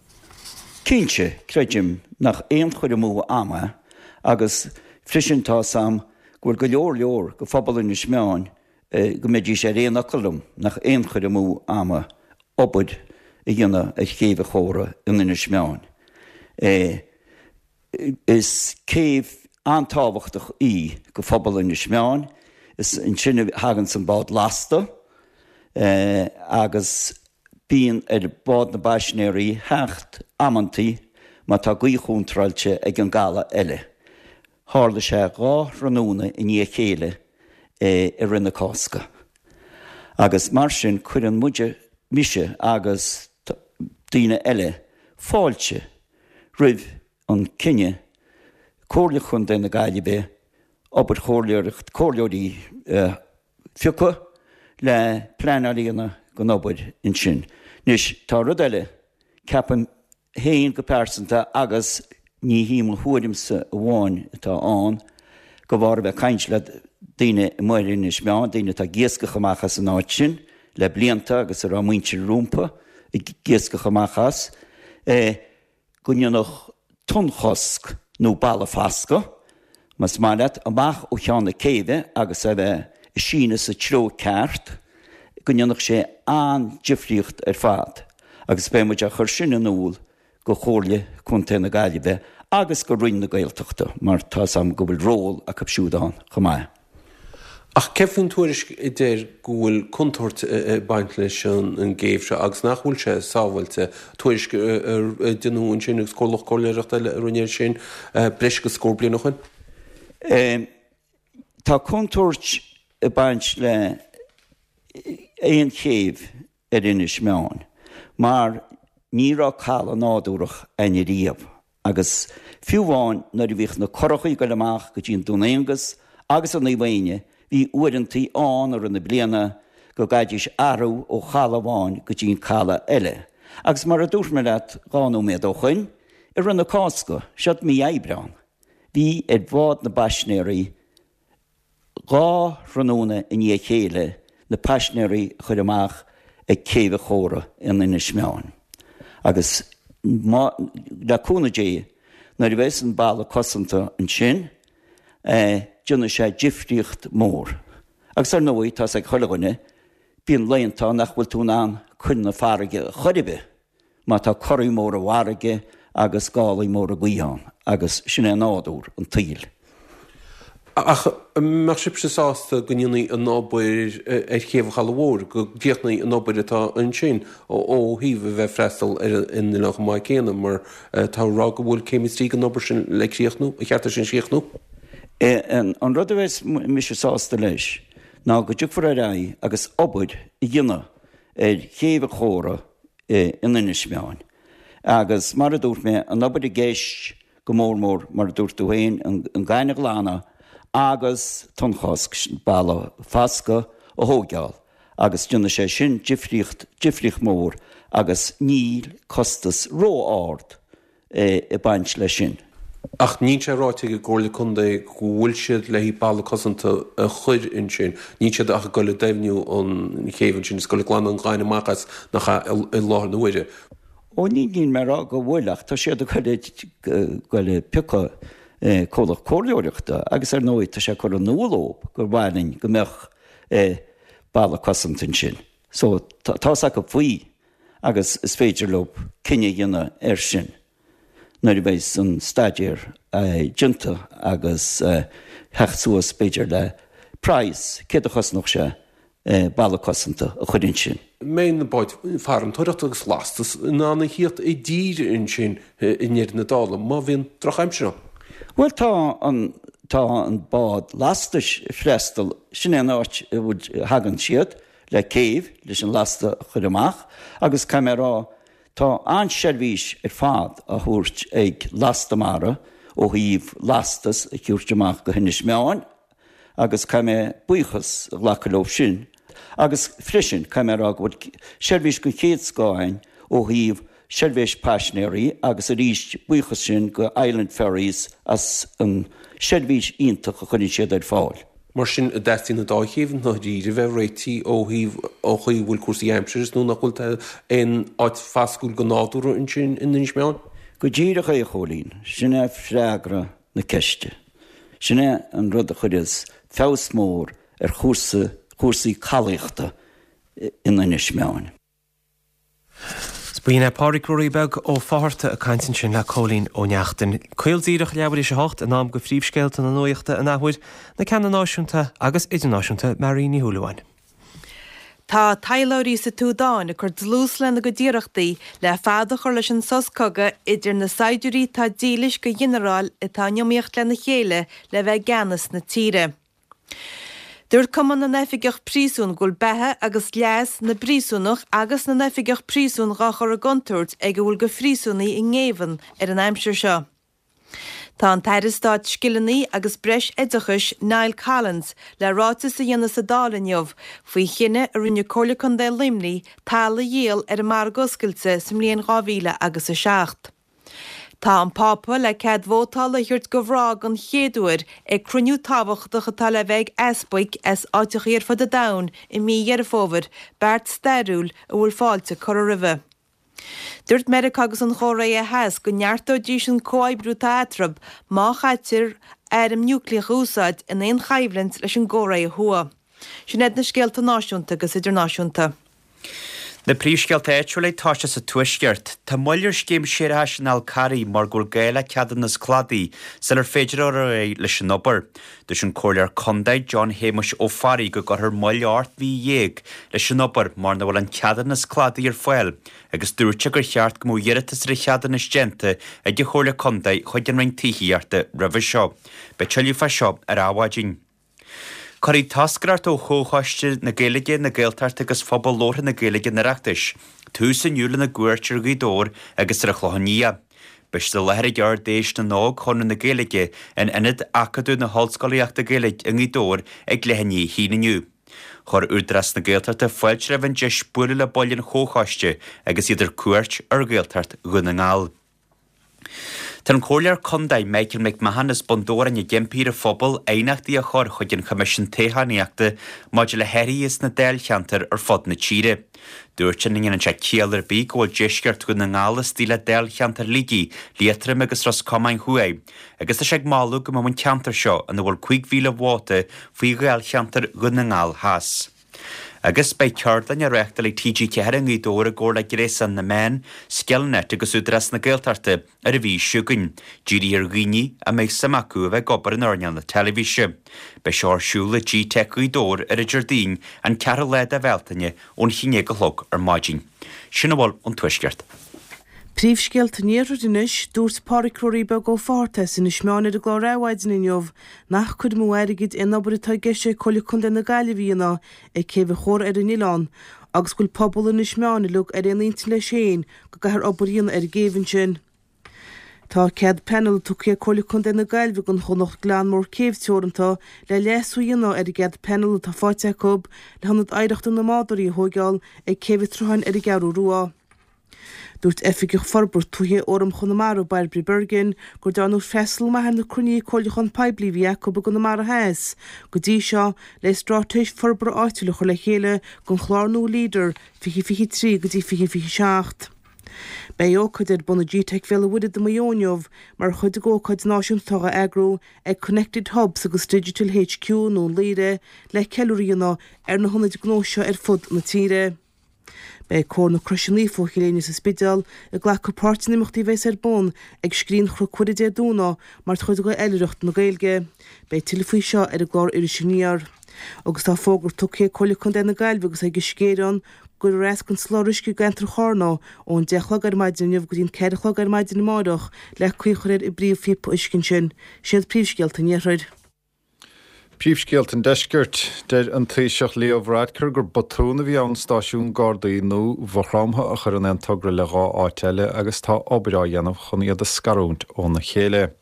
Cinnte, creidim nach aon chur amú ama. Agus freisin tá 'fhios a'm go bhfuil go leor leor de phobal Inis Meáin go mbeidís ar aon fhocal liom nach aon chur amú ama obair a dhéanamh ar Chéibh an Chóra in Inis Meáin. Is céibh an-tábhachtach í go phobal Inis Meáin. Is ansin a thaganns an bád lasta agus bíonn ar bhád na bpaisinéirí theacht amantaí má tá gaoth chontráilte ag an gcaladh eile. Tharla sé 2 thráthnóna i ndiaidh a chéile i rith na Cásca. Agus mar sin cuireann muide, mise agus daoine eile, fáilte roimh an cinneadh Comhairle Chontae na Gaillimhe obair chomhairleoireacht, comhairleoirí a phiocadh le pleanáil a dhéanamh don obair ansin. Anois tá rud eile, ceapaim féin go pearsanta agus ní hí mo thuairimse amháin atá ann, de bharr a bheith ag caint le daoine amuigh ar Inis Meáin, daoine atá ag iascach amach as an áit sin le blianta agus a raibh muintir rompu ag iascach amach as, go ndéanfadh tonnchosc nó balla fascadh, más maith leat, amach ó cheann na céibhe agus é a bheith ag síneadh sa treo ceart, go ndéanfadh sé an-difríocht ar fad agus beidh muid á chur sin in iúl go Chomhairle Contae na Gaillimhe agus go Roinn na Gaeltachta mar tá 'fhios a'm go bhfuil ról acu siúd ann chomh maith. Ach céard faoin tuairisc a deir go bhfuil contúirt ag baint leis an gcéibh seo agus nach bhfuil sé sábháilte? Tuairisc a deineadh ansin agus comhlacht comhairleoireachta eile a rinne é sin breis agus scór bliain ó shin. Tá contúirt ag baint le aon chéibh ar Inis Meáin mar ní raibh caladh nádúrach a'inn ariamh agus fiú amháin nuair a bhíodh na curachaí ag goil amach go dtí an Dún Aonghus agus an Naomh Éinne bhí uaireantaí ann i rith na bliana go gcaithfidís athrú ó chaladh amháin go dtí an caladh eile. Agus mar a dúirt mé leat 2 nóiméad ó shoin, i rith na Cásca, seod mí Aibreán, bhí ar bhád na bpaisnéirí 2 thráthnóna i ndiaidh a chéile na paisnéirí a chur amach ag Céibh an Chóra in Inis Meáin. Agus má, le cúnamh Dé, nuair a bheas an balla cosanta ansin, déanfaidh sé difríocht mór. Agus ar ndóigh, tá's ag chuile dhuine, bíonn laethanta ann nach bhfuil tú in ann chun na farraige ar chor ar bith. má tá corraí móra i bhfarraige agus gálaí móra gaoithe ann, agus sin é nádúr an tsaoil. Ach an mbeadh sibhse sásta go ndéanfaí an obair ar Chéibh an Chalaidh Mhóir, go gcríochnófaí an obair atá ansin ó thaobh a bheith ag freastal ar an oileán chomh maith céanna, mar tá a rá go bhfuil céim is trí den obair sin le críochnú, an cheart é sin a chríochnú? An rud a bheas mise sásta leis ná go dtiocfar ar aghaidh agus obair a dhéanamh ar Chéibh an Chóra in Inis Meáin. Agus mar a dúirt mé, an obair i gceist go mór mór, mar a dúirt tú féin, an gaineamh a ghlanadh agus tonnchosc, balla fascadh a thóigeáil agus déanfaidh sé sin difríocht, difríocht mhór agus níl costas ró-ard ag baint leis sin. Ach níl sé ráite ag an gComhairle Contae go bhfuil siad le haghaidh balla cosanta a chur ansin. Níl siad ach ag dul ag doimhniú an chéibh ansin is ag dul ag glanadh an ghainimh amach as nach ea i láthair na huaire. Ó ní níl mé ag rá go bhfuil ach tá siad ag dul ag piocadh comhlacht comhairleoireachta agus ar ndóigh tá sé curtha in iúl dóibh gur mhaith linn go mbeadh balla cosanta ansin. So tá's acu faoi. agus is féidir leo cinneadh a dhéanamh air sin nuair a bheas an staidéar déanta agus theacht suas b'fhéidir le praghas, céard a chosnódh sé balla cosanta a chur ansin. mbeidh na báid farantóireachta agus lastas in ann a thíocht i dtír ansin i ndeireadh na dála má bhíonn drochaimsir ann? Bhuel tá an tá an bád lastais ag freastal, sin é an áit a bhfuil thagann siad le céibh leis an lasta a chur amach agus caithfidh mé a rá tá an-seirbhís ar fad á thabhairt ag Lasta Mara ó thaobh lastas a thabhairt amach go hInis Meáin agus caithfidh mé buíochas a ghlacadh leo sin agus freisin caithfidh mé a rá go bhfuil seirbhís den chéad scoth againn ó thaobh seirbhís paisinéirí agus arís buíochas sin go Island Ferries as an seirbhís iontach a chuireann siad ar fáil. Mar sin, an dteastaíonn an dá chéibh i ndáiríre a bheith réitithe ó thaobh an chaoi a bhfuil cúrsaí aimsire is nó nach bhfuil aon áit fascúil go nádúrtha ansin in Inis Meáin? Go díreach é, a Chóilín. Sin é freagra. na ceiste. Sin é an rud a chuireas feabhas mór ar chúrsa, chúrsaí calaíochta in Inis Meáin. B'in é Pádraic Ruairí Beag Ó Fátharta ag caint ansin le Cóilín Ó Neachtain. Caol díreach leathuair théis a hocht, in am do phríomhscéalta na nuachta an athuair, na ceanna náisiúnta agus idirnáisiúnta, Mary Ní Shúilleabháin. Tá taidhleoirí sa tSúdáin ag cur dlús lena gcuid iarrachtaí le fad a chur leis an sos cogaidh idir na saighdiúirí atá dílis do ghinearáil atá in iomaíocht lena chéile le bheith i gceannas na tíre. Dúirt Cumann na nOifigeach Príosún go bhfuil beatha agus leas na bpríosúnach agus na n-oifigeach príosún dhá chur i gcontúirt ag a bhfuil de phríosúnaigh i ngéibheann ar an aimsir seo. Tá an tAire Stáit Scileanna agus Breis-Oideachais Niall Collins le ráiteas a dhéanamh sa Dáil inniu faoi chinneadh a rinne Comhairle Contae Luimnigh talamh a dhíol ar an margadh oscailte sa mbliain 2000 agus 7. Tá an Pápa le cead vótála a thabhairt do mhná den chéad uair ag cruinniú tábhachtach atá le bheith ag easpaig as áiteachaí ar fud an domhain i mí Dheireadh Fómhair, beart stairiúil a bhfuil fáilte curtha roimhe. Dúirt Meiriceá agus an Chóiré Theas go neartóidís an comhoibriú atá eatarthu má chaitear airm núicléacha a úsáid in aon choimhlint leis an gCóiré Thuaidh. Sin iad na scéalta náisiúnta agus idirnáisiúnta. Na príomhscéalta áitiúla ag toiseacht sa Tuaisceart. Tá moill ar scéim séarachais an Fhál Carraigh mar go bhfuil gá le ceadúnas cladaigh sular féidir dul ar aghaidh leis an obair. Dúirt an Comhairleoir Contae John Shéamuis Ó Fearraigh go gcuirfear moill 18 mhí leis an obair mar nach bhfuil an ceadúnas cladaigh ar fáil agus dúirt sé gur cheart go mbeadh iarratas ar an cheadúnas déanta ag an Chomhairle Contae chuig an Roinn Tithíochta roimhe seo. Beidh tuilleadh fá seo ar Adhmhaidin. Cuirfidh toscaireacht ó Chomhchoiste na Gaeilge, na Gaeltachta agus Phobal Labhartha na Gaeilge an Oireachtais tús inniu lena gcuairt ar Ghaoth Dobhair agus ar an Chlochán Liath. Beidh siad i láthair ag Ard-Fheis na nÓg Chonradh na Gaeilge in Ionad Acadúil na hOllscolaíochta Gaeilge i nGaoth Dobhair ag leath i ndiaidh a haon inniu. Chuir Údarás na Gaeltachta fáilte roimh an deis bualadh le baill an Chomhchoiste agus iad ar cuairt ar Ghaeltacht Dhún na nGall. Tá an Comhairleoir Contae Michael McMahon as Bun Dobhráin ag impí ar an phobal aighneachtaí a chur chuig an Choimisiún Toghchánaíochta maidir le hathruithe sna dáilcheantair ar fud na tíre. Dúirt sé nach ndéanann sé ciall ar bith go bhfuil deisceart Dhún na nGall istigh le dáilcheantar Shligigh, Liatroim agus Ros Comáin Thuaidh agus tá sé ag moladh go mbeadh an ceantar seo, ina bhfuil 5,000 vóta, faoi dháilcheantar Dhún na nGall Theas. Agus beidh ceardlann á reáchtáil ag TG4 i nGaoth Dobhair i gcomhar le Gréasán na Meán, Skillnet agus Údarás na Gaeltachta ar an mhí seo chugainn, dírithe ar dhaoine a mbeadh suim acu a bheith ag obair in earnáil na teilifíse. Beidh seo ar siúl i Gteic Ghaoth Dobhair ar an Déardaoin, an ceathrú lá de Bhealtaine, ón haon déag a chlog ar maidin. Sin a bhfuil ón Tuaisceart. Príomhscéalta an Iarthair anois, Dúirt Pádraic Ruairí Beag Ó Fátharta as Inis Meáin ar an gclár Adhmhaidin inniu nach cur amú airgid é an obair atá i gceist ag Comhairle Contae na Gaillimhe a dhéanamh ag Céibh an Chóra ar an oileán agus go bhfuil pobal Inis Meáin uilig ar aon intinn leis féin go gcaithfear obair a dhéanamh ar an gcéibh ansin. Tá cead pleanála tugtha ag Comhairle Contae na Gaillimhe don chomhlacht Glanmór Céibh Teoranta le leasú a dhéanamh ar an gcead pleanála atá faighte acu le hIonad Oidhreachta na mBádóirí a thóigeáil ag Céibh an tSrutháin ar an gCeathrú Rua. Dúirt Oifigeach Forbartha Tuaithe Fhóram Chonamara, Bairbre Bergin, gur dearnadh freastal maith ar na cruinnithe comhairliúcháin poiblí a bhí acu i gConamara Theas go dtí seo le straitéis forbartha áitiúil a chur le chéile don chlár nua Leader 2023 go dtí 2027. Beidh ócáid ar bun i GTeic Bhéal an Mhuirthead i Maigh Eo inniu mar chuid de ócáid náisiúnta atá á eagrú ag Connected Hubs agus Digital HQ i nDún Laoghaire le ceiliúradh a dhéanamh ar na hionaid gnó seo ar fud na tíre. Beidh Cór na Croise Naofa ó Chill Éinne sa Spidéal ag glacadh páirt in imeachtaí a bheas ar bun ag Scrín Chnoc Mhuire Dé Domhnaigh mar chuid de Oilithreacht na Gaeilge. Beidh tuilleadh faoi seo ar an gclár Iris Aniar. Agus tá fógra tugtha ag Comhairle Contae na Gaillimhe agus ag Uisce Éireann go gcuirfear as den soláthar uisce i gceantar Charna ón 10 a chlog ar maidin inniu go dtí an 4 a chlog ar maidin amárach le caoi a chur ar an bpríomhphíopa uisce ansin. Siad príomhscéalta an Iarthair. Príomhscéalta an Deiscirt. Deir an Taoiseach Leo Varadkar gur botún a bhí ann stáisiún Gardaí nua Mhaigh Chromtha a chur in aon togra le 2 áit eile agus tá obair á dhéanamh chun iad a scarúint óna chéile.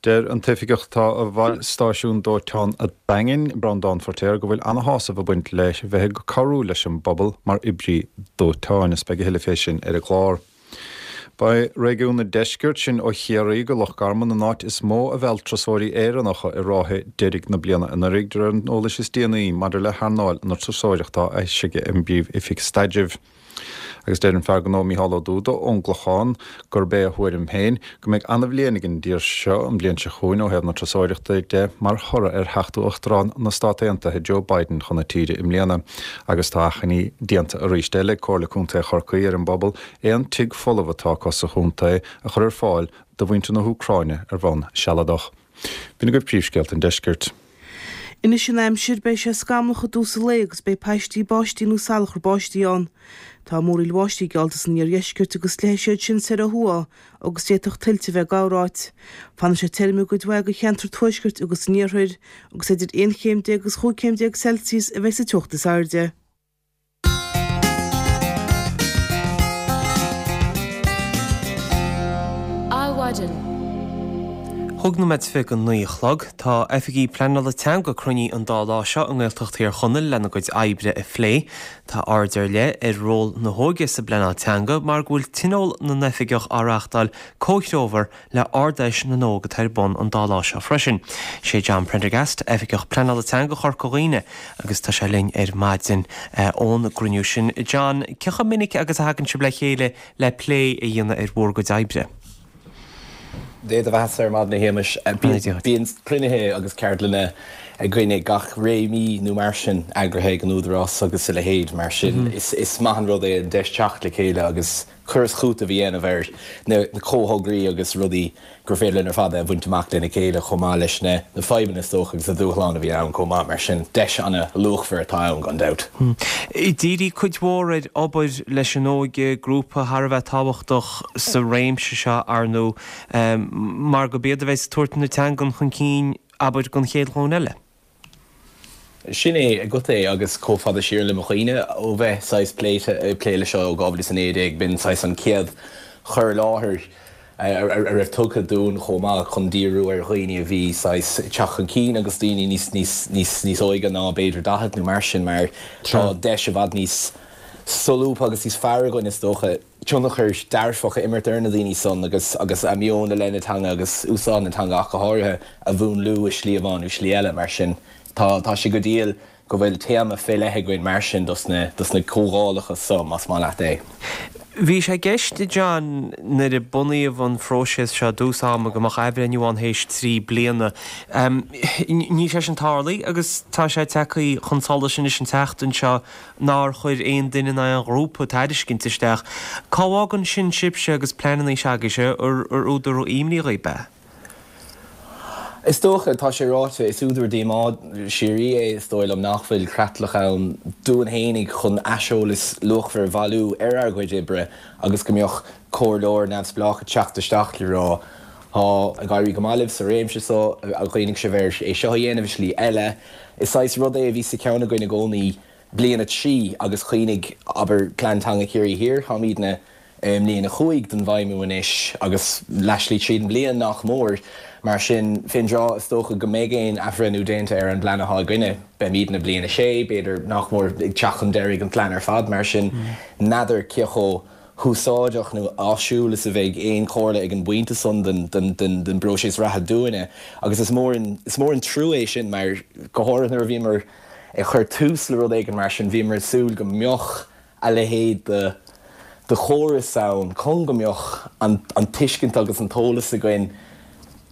Deir an t-oifigeach atá i bhfeighil stáisiún dóiteáin an Daingin, Breandán Feirtéar, go bhfuil ana-shásamh ag baint leis bheith ag cabhrú leis an bpobal mar oibrí dóiteáin is beidh a thuilleadh fé sin ar an gclár. Beidh réigiún an deiscirt, sin ó Chiarraí go Loch Garman, an áit is mó a mheall turasóirí Éireannacha i ráithe deiridh na bliana anuraidh, de réir an eolais is déanaí maidir le hearnáil na turasóireachta a d'eisigh an bPríomh-Oifig Staidrimh. Agus deir an fear gnó Mícheál Ó Dúda ón gClochán gurb é a thuairim féin go mbeidh ana-bhliain ag an dtír seo an bhliain seo chugainn ó thaobh na turasóireachta de mar thoradh ar theacht Uachtarán na Stát Aontaithe Joe Biden chun na tíre i mbliana. Agus tá achainí déanta arís eile ag Comhairle Contae Chorcaí ar an bpobal aon tigh folamh atá acu sa chontae a chur ar fáil do mhuintir na hÚcráine ar bhonn sealadach. B'in agaibh príomhscéalta an deiscirt. Anois an aimsir, beidh sé scamallach i dtús an lae agus beidh paistí báistí nó salachar báistí ann. Tá múraíl bháistí geallta san iardheisceart agus leathfaidh siad sin soir ó thuaidh agus d'fhéadfadh tuilte a bheith corráit. Fanfaidh sé tirim i gcuid mhaith de cheantar tuaiscirt agus an iarthair agus idir 11 chéim agus 15 chéim Celsius a bheidh sa teocht is airde. Adhmhaidin. Chúig nóiméad is 29 a chlog. Tá oifigigh pleanála teanga cruinnithe an dá lá seo i nGaeltacht Thír Chonaill lena gcuid oibre a phlé. Tá aird ar leith ar ról na hóige sa bpleanáil teanga mar go bhfuil Tionól na nOifigeach á reáchtáil comhthreomhar le Ard-Fheis na nÓg atá ar bun an dá lá seo freisin. Sé John Prendergast, Oifigeach Pleanála Teanga Chorca Dhuibhne agus tá sé linn ar maidin ón gcruinniú sin. John, cé chomh minic agus a thagann sibh le chéile le plé a dhéanamh ar bhur gcuid oibre? Dé do bheathasa ar maidin a Shéamais. Bíonn cruinnithe agus ceardlanna againne gach ré mí nó mar sin, eagraithe ag an Údarás agus a leithéid. Mar sin is maith an rud é an deis teacht le chéile agus cur is cúiteamh a dhéanamh ar na comhthograí agus rudaí gur féidir linn ar fad a bhaint amach lena chéile chomh maith leis na fadhbanna is dócha agus na dúshláin a bhíonn ann chomh maith. Mar sin, deis ana-luachmhar atá ann gan dabht. Díríodh cuid mhór ar obair leis an óige, grúpa thar a bheith tábhachtach sa réimse seo, ar ndóigh, mar gurb iad a bheas ag tabhairt na teangan chun cinn, abair, don chéad ghlúin eile. Sin é agat é agus chomh fada siar le mo chuimhne ó bheith saghas pléite, ag plé leis seo ó 2019, b'in saghas an chéad chur i láthair a raibh tugtha dúinn chomh maith chun díriú ar dhaoine a bhí saghas ag teacht chun cinn agus daoine níos, níos, níos, níos óige ná b'fhéidir 40 nó mar sin mar tá deis i bhfad níos solúbtha agus níos fearr againn is dócha. tionchar dearfach a imirt ar na daoine san agus agus a meon i leith na teanga agus úsáid na teanga ach go háirithe a mhúnlú i slí amháin nó slí eile. Mar sin tá tá sé go diail go bhfuil téama fé leith againn mar sin dos na dos na comhdhálacha so, más maith leat é. Bhí sé i gceist, John, nuair a bunaíodh an phróiseas seo i dtús ama go mbeadh athbhreithniú ann théis 3 bliana. Níl sé sin tarlaithe agus tá sé tagtha chun solais anois an tseachtain seo nár chuir aon duine ná aon ghrúpa tairiscint isteach. Cá bhfágann sin sibhse agus pleananna s'agaibhse, ar údar imní dhaoibh é? Is dócha, tá sé ráite, is údar díomá síoraí é, is dóigh liom, nach bhfuil creatlach ann dúinn fhéinig chun aiseolas luachmhar a bhailiú ar ár gcuid oibre agus go mbeadh comhairleoir neamhspleách ag teacht isteach le rá tá ag éirí go maith libh sa réimse so, ar chuimhnigh sibh ar é seo a dhéanamh i slí eile? Is saghas rud é a bhí sa cheann againn i gcónaí bliain 3 agus cuimhnigh, abair, Plean Teanga Chiarraí Thiar, táimidne i mbliain 5 den bhfeidhmiú anois agus leathshlí tríd an bhliain nach mór. Mar sin, fén dtráth is dócha go mbeidh aon athbhreithniú déanta ar an bplean atá againne, beimidne i mbliain 6, b'fhéidir, nach mór, ag teacht chun deiridh an phlean ar fad. Mar sin, n'fheadar cé chomh húsáideach nó áisiúil is a bheidh aon chomhairle ag an bpointe san den bpróiseas reatha dúinne. Agus is mór an trua é sin mar, go háirithe nuair a bhíomar ag cur tús le rud éigin mar sin, bhíomar ag súil go mbeadh a leithéid de de chóras ann chun go mbeadh an tuiscint agus an t-eolas againn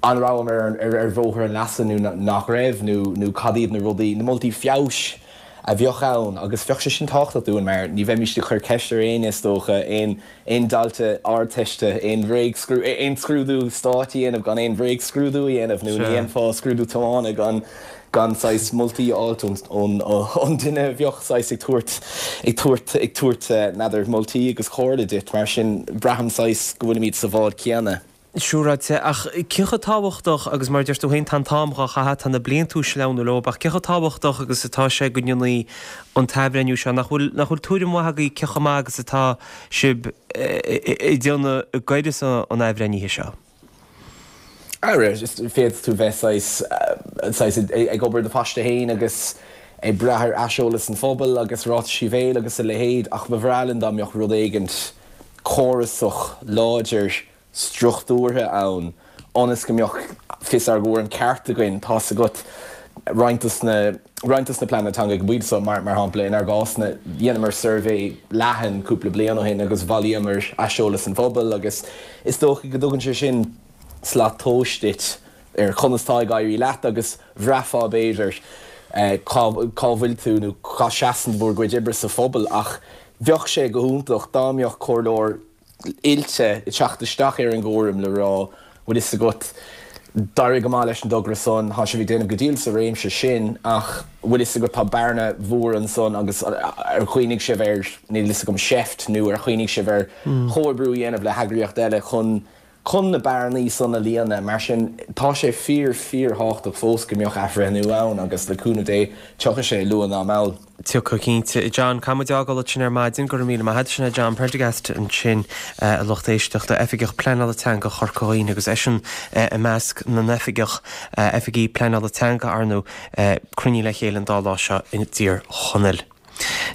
an rabhamar ar bhóthar an leasa nó nach raibh nó nó cad iad na rudaí, na moltaí feabhais a bheadh ann agus bheadh sé sin tábhachtach dúinn mar ní bheimíst ag cur ceist ar éinne is dócha, aon aon dalta Ardteiste, aon bhréagscrúdú, aon scrúdú stáit a dhéanamh gan aon bhréagscrúdú a dhéanamh nó ní dhéanfá scrúdú tiomána gan gan saghas moltaí a fháilt ón ón duine a bheadh saghas ag tabhairt ag tabhairt ag tabhairt n'fheadar moltaí agus comhairle duit. Mar sin braithim saghas go bhfuilimid sa bhád céanna. Siúráilte, ach cé chomh tábhachtach, agus mar a deir tú féin, tá an t-am dhá chaitheamh, tá na blianta ag sleamhnú leo, ach cé chomh tábhachtach agus atá sé go ndéanfaí an t-athbhreithniú seo, nach bhfuil, nach bhfuil tuairim mhaith agaibh cé chomh maith agus atá sibh ag déanamh i gcoireas an athbhreithnithe seo? Ara, féadfaidh tú bheith saghas, saghas ag obair do phaiste féin agus ag brath ar aiseolas an phobail agus ráitisí bhéil agus a leithéid, ach ba bhreá linn dá mbeadh rud éigint córasach, láidir, struchtúrtha ann ionas go mbeadh fios ár gcúraim ceart againn, tá's agat. Roinnt dos na roinnt dos na pleananna teanga ag an bpointe seo, mar mar shampla, inár gcásna, dheineamar suirbhé leathan cúpla bliain ó shin agus bhailíomar aiseolas an phobail agus is dócha go dtugann sé sin slat tomhais duit ar conas tá ag éirí leat agus bhraithfeá b'fhéidir cá cá bhfuil tú nó cá seasann bhur gcuid oibre sa phobal ach bheadh sé go hiontach dá mbeadh comhairleoir oilte ag teacht isteach ar an gcúram le rá, bhfuil fhios agat, d'éirigh go maith leis an dtogra san, tá sibh ag déanamh go diail sa réimse sin ach bhfuil fhios agat tá bearna mhór ansan agus ar chuimhnigh sibh ar, níl fhios agam, seift nó ar chuimhnigh sibh ar chomhoibriú a dhéanamh le heagraíocht eile chun chun na bearnaí san a líonadh. Mar sin, tá sé fíor, fíor-thábhachtach fós go mbeadh athbhreithniú ann agus le cúnamh Dé, tiocfaidh sé, luath ná mall. Tiocfaidh cinnte. John, caithfidh muid fhágáil ansin ar maidin. Go raibh míle maith agat. Sin é John Prendergast ansin, a lucht éisteachta, Oifigeach Pleanála Teanga Chorca Dhuibhne agus eisean i measc na n-oifigeach, oifigí pleanála teanga, ar ndóigh, cruinnithe le chéile an dá lá seo i dTír Chonaill.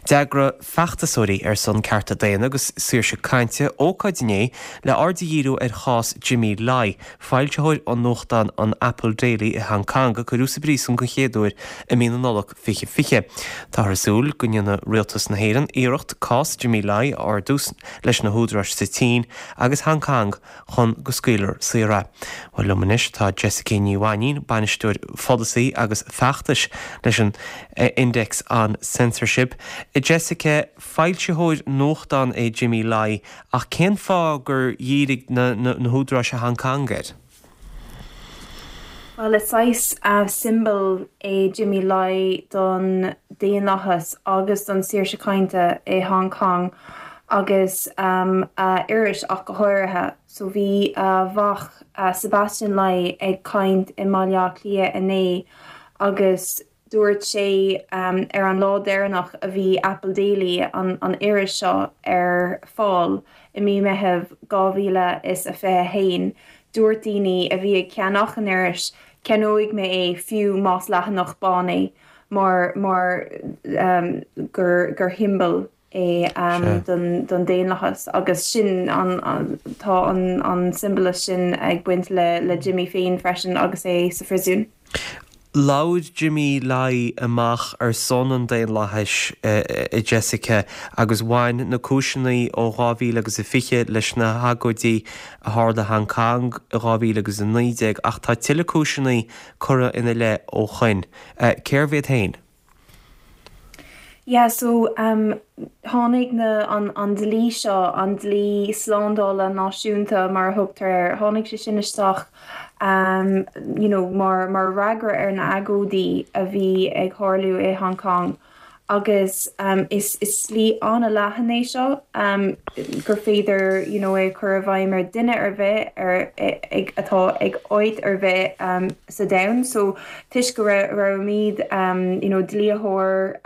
D'eagraigh feachtasóirí ar son cearta daonna agus saoirse cainte ócáid inné le aird a dhíriú ar chás Jimmy Lai, foilsitheoir an nuachtáin an Apple Daily i Hong Kong a cuireadh sa bpríosún den chéad uair i mí na Nollag 2020. Táthar ag súil go ndéanfaidh Rialtas na hÉireann iarracht cás Jimmy Lai a ardú leis na húdaráis sa tSín agus Hong Kong chun go scaoilfear saor é. Bhuel, liom anois tá Jessica Ní Mhainín, Bainisteoir Pholasaí agus Feachtais leis an Index on Censorship. Jessica, foilsitheoir nuachtán é Jimmy Lai, ach cén fáth gur dhírigh na húdaráis i Hong Kong air? Bhuel, is saghas siombail é Jimmy Lai don daonlathas agus don saoirse cainte i Hong Kong agus a iris ach go háirithe. So bhí a mhac Sebastian Lai ag caint i mBaile Átha Cliath inné agus Dúirt sé ar an lá deireanach a bhí Apple Daily, an iris seo, ar fáil i mí Meitheamh 2021, dúirt daoine a bhí ag ceannach an iris, ceannóidh mé é fiú más leathanach bán é mar mar gur gur shiombail é don daonlathas agus sin an tá an siombalas sin ag baint le le Jimmy féin freisin agus é sa phriosún. Labhair Jimmy Lai amach ar son an daonlathais a Jessica agus bhain na cúiseanna ó 2000 agus a 20 leis na hagóidí a tharla i Hong Kong i 2000 agus 19 ach tá tuilleadh cúiseanna curtha ina leith ó shoin. Cérbh iad féin? Yeah so um tháinig na an an dlí seo, an dlí slándála náisiúnta mar a thugtar air, tháinig sé sin isteach um you know mar mar fhreagra ar na agóidí a bhí ag tharlú i Hong Kong agus um is is dlí an-leathan é seo um gur féidir you know é a chur i bhfeidhm ar duine ar bith ar ag atá ag áit ar bith um sa domhan so toisc go raibhimid you know dlítheoir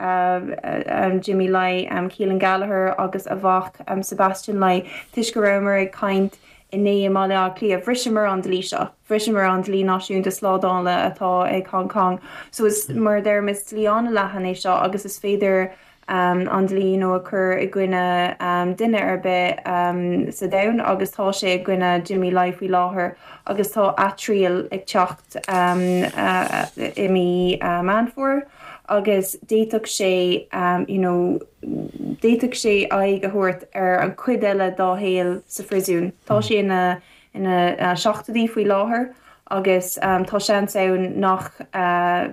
Jimmy Lai, Keelan Gallagher agus a mhac Sebastian Lai, toisc go rabhamar ag caint inné i mBaile Átha Cliath, bhriseamar an dlí seo, bhriseamar an dlí náisiúnta slándála atá ag Hong Kong. So is, mar a deirim, is dlí an-leathan é seo agus is féidir an dlí you know a chur i gcoinne duine ar bith sa domhan agus tá sé i gcoinne Jimmy Lai faoi láthair agus tá atriail ag teacht i mí Meán Fómhair agus d'fhéadfadh sé you know d'fhéadfadh sé aghaidh a thabhairt ar an chuid eile dá shaol sa phriosún. Tá sé ina ina seachtóidí faoi láthair agus tá seans ann nach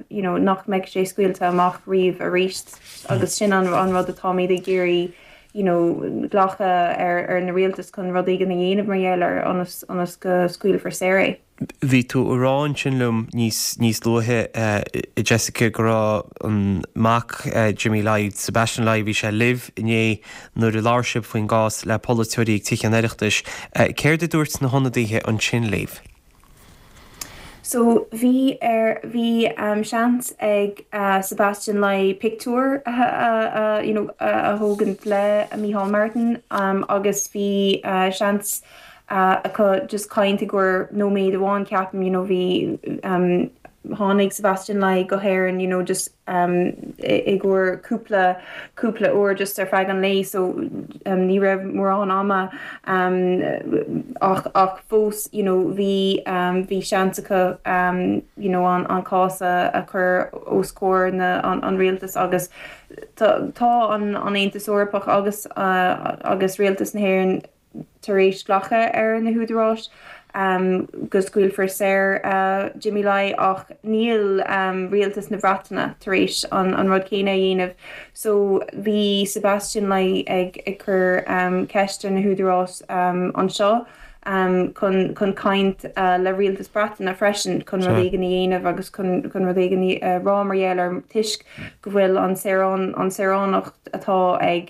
you know nach mbeidh sé scaoilte amach riamh arís agus sin an an rud atáimid ag iarraidh you know glacadh ar ar na rialtais chun rud éigin a dhéanamh mar gheall air ionas ionas go scaoilfear saor é. Bhí tú ag rá ansin liom níos níos luaithe a Jessica go raibh an mac Jimmy Lai, Sebastian Lai, bhí sé libh inné nuair a labhair sibh faoin gcás le polaiteoirí ag Tithe an Oireachtais. Céard a dúirt na hionadaithe ansin libh? So bhí ar bhí seans ag Sebastian Lai pictiúr a you know a thógaint le Micheál Martin agus bhí seans acu just caint i gcomhair nóiméad amháin ceapaim you know bhí. Tháinig Sebastian Lai go hÉirinn you know just i gcomhair cúpla cúpla uair just ar feadh an lae so ní raibh mórán ama ach ach fós you know bhí bhí seans acu you know an an cás a a chur os comhair na an an rialtas agus tá tá an an Aontas Eorpach agus agus rialtas na hÉireann tar éis glacadh ar na húdaráis go scaoilfear saor Jimmy Lai ach níl rialtas na Breataine tar éis an rud céanna a dhéanamh. So bhí Sebastian Lai ag cur ceist ar na húdaráis anseo chun chun caint le rialtas Breataine freisin chun rud éigin a dhéanamh agus chun chun rud éigin a rá mar gheall ar toisc go bhfuil an saorán an saoránacht atá ag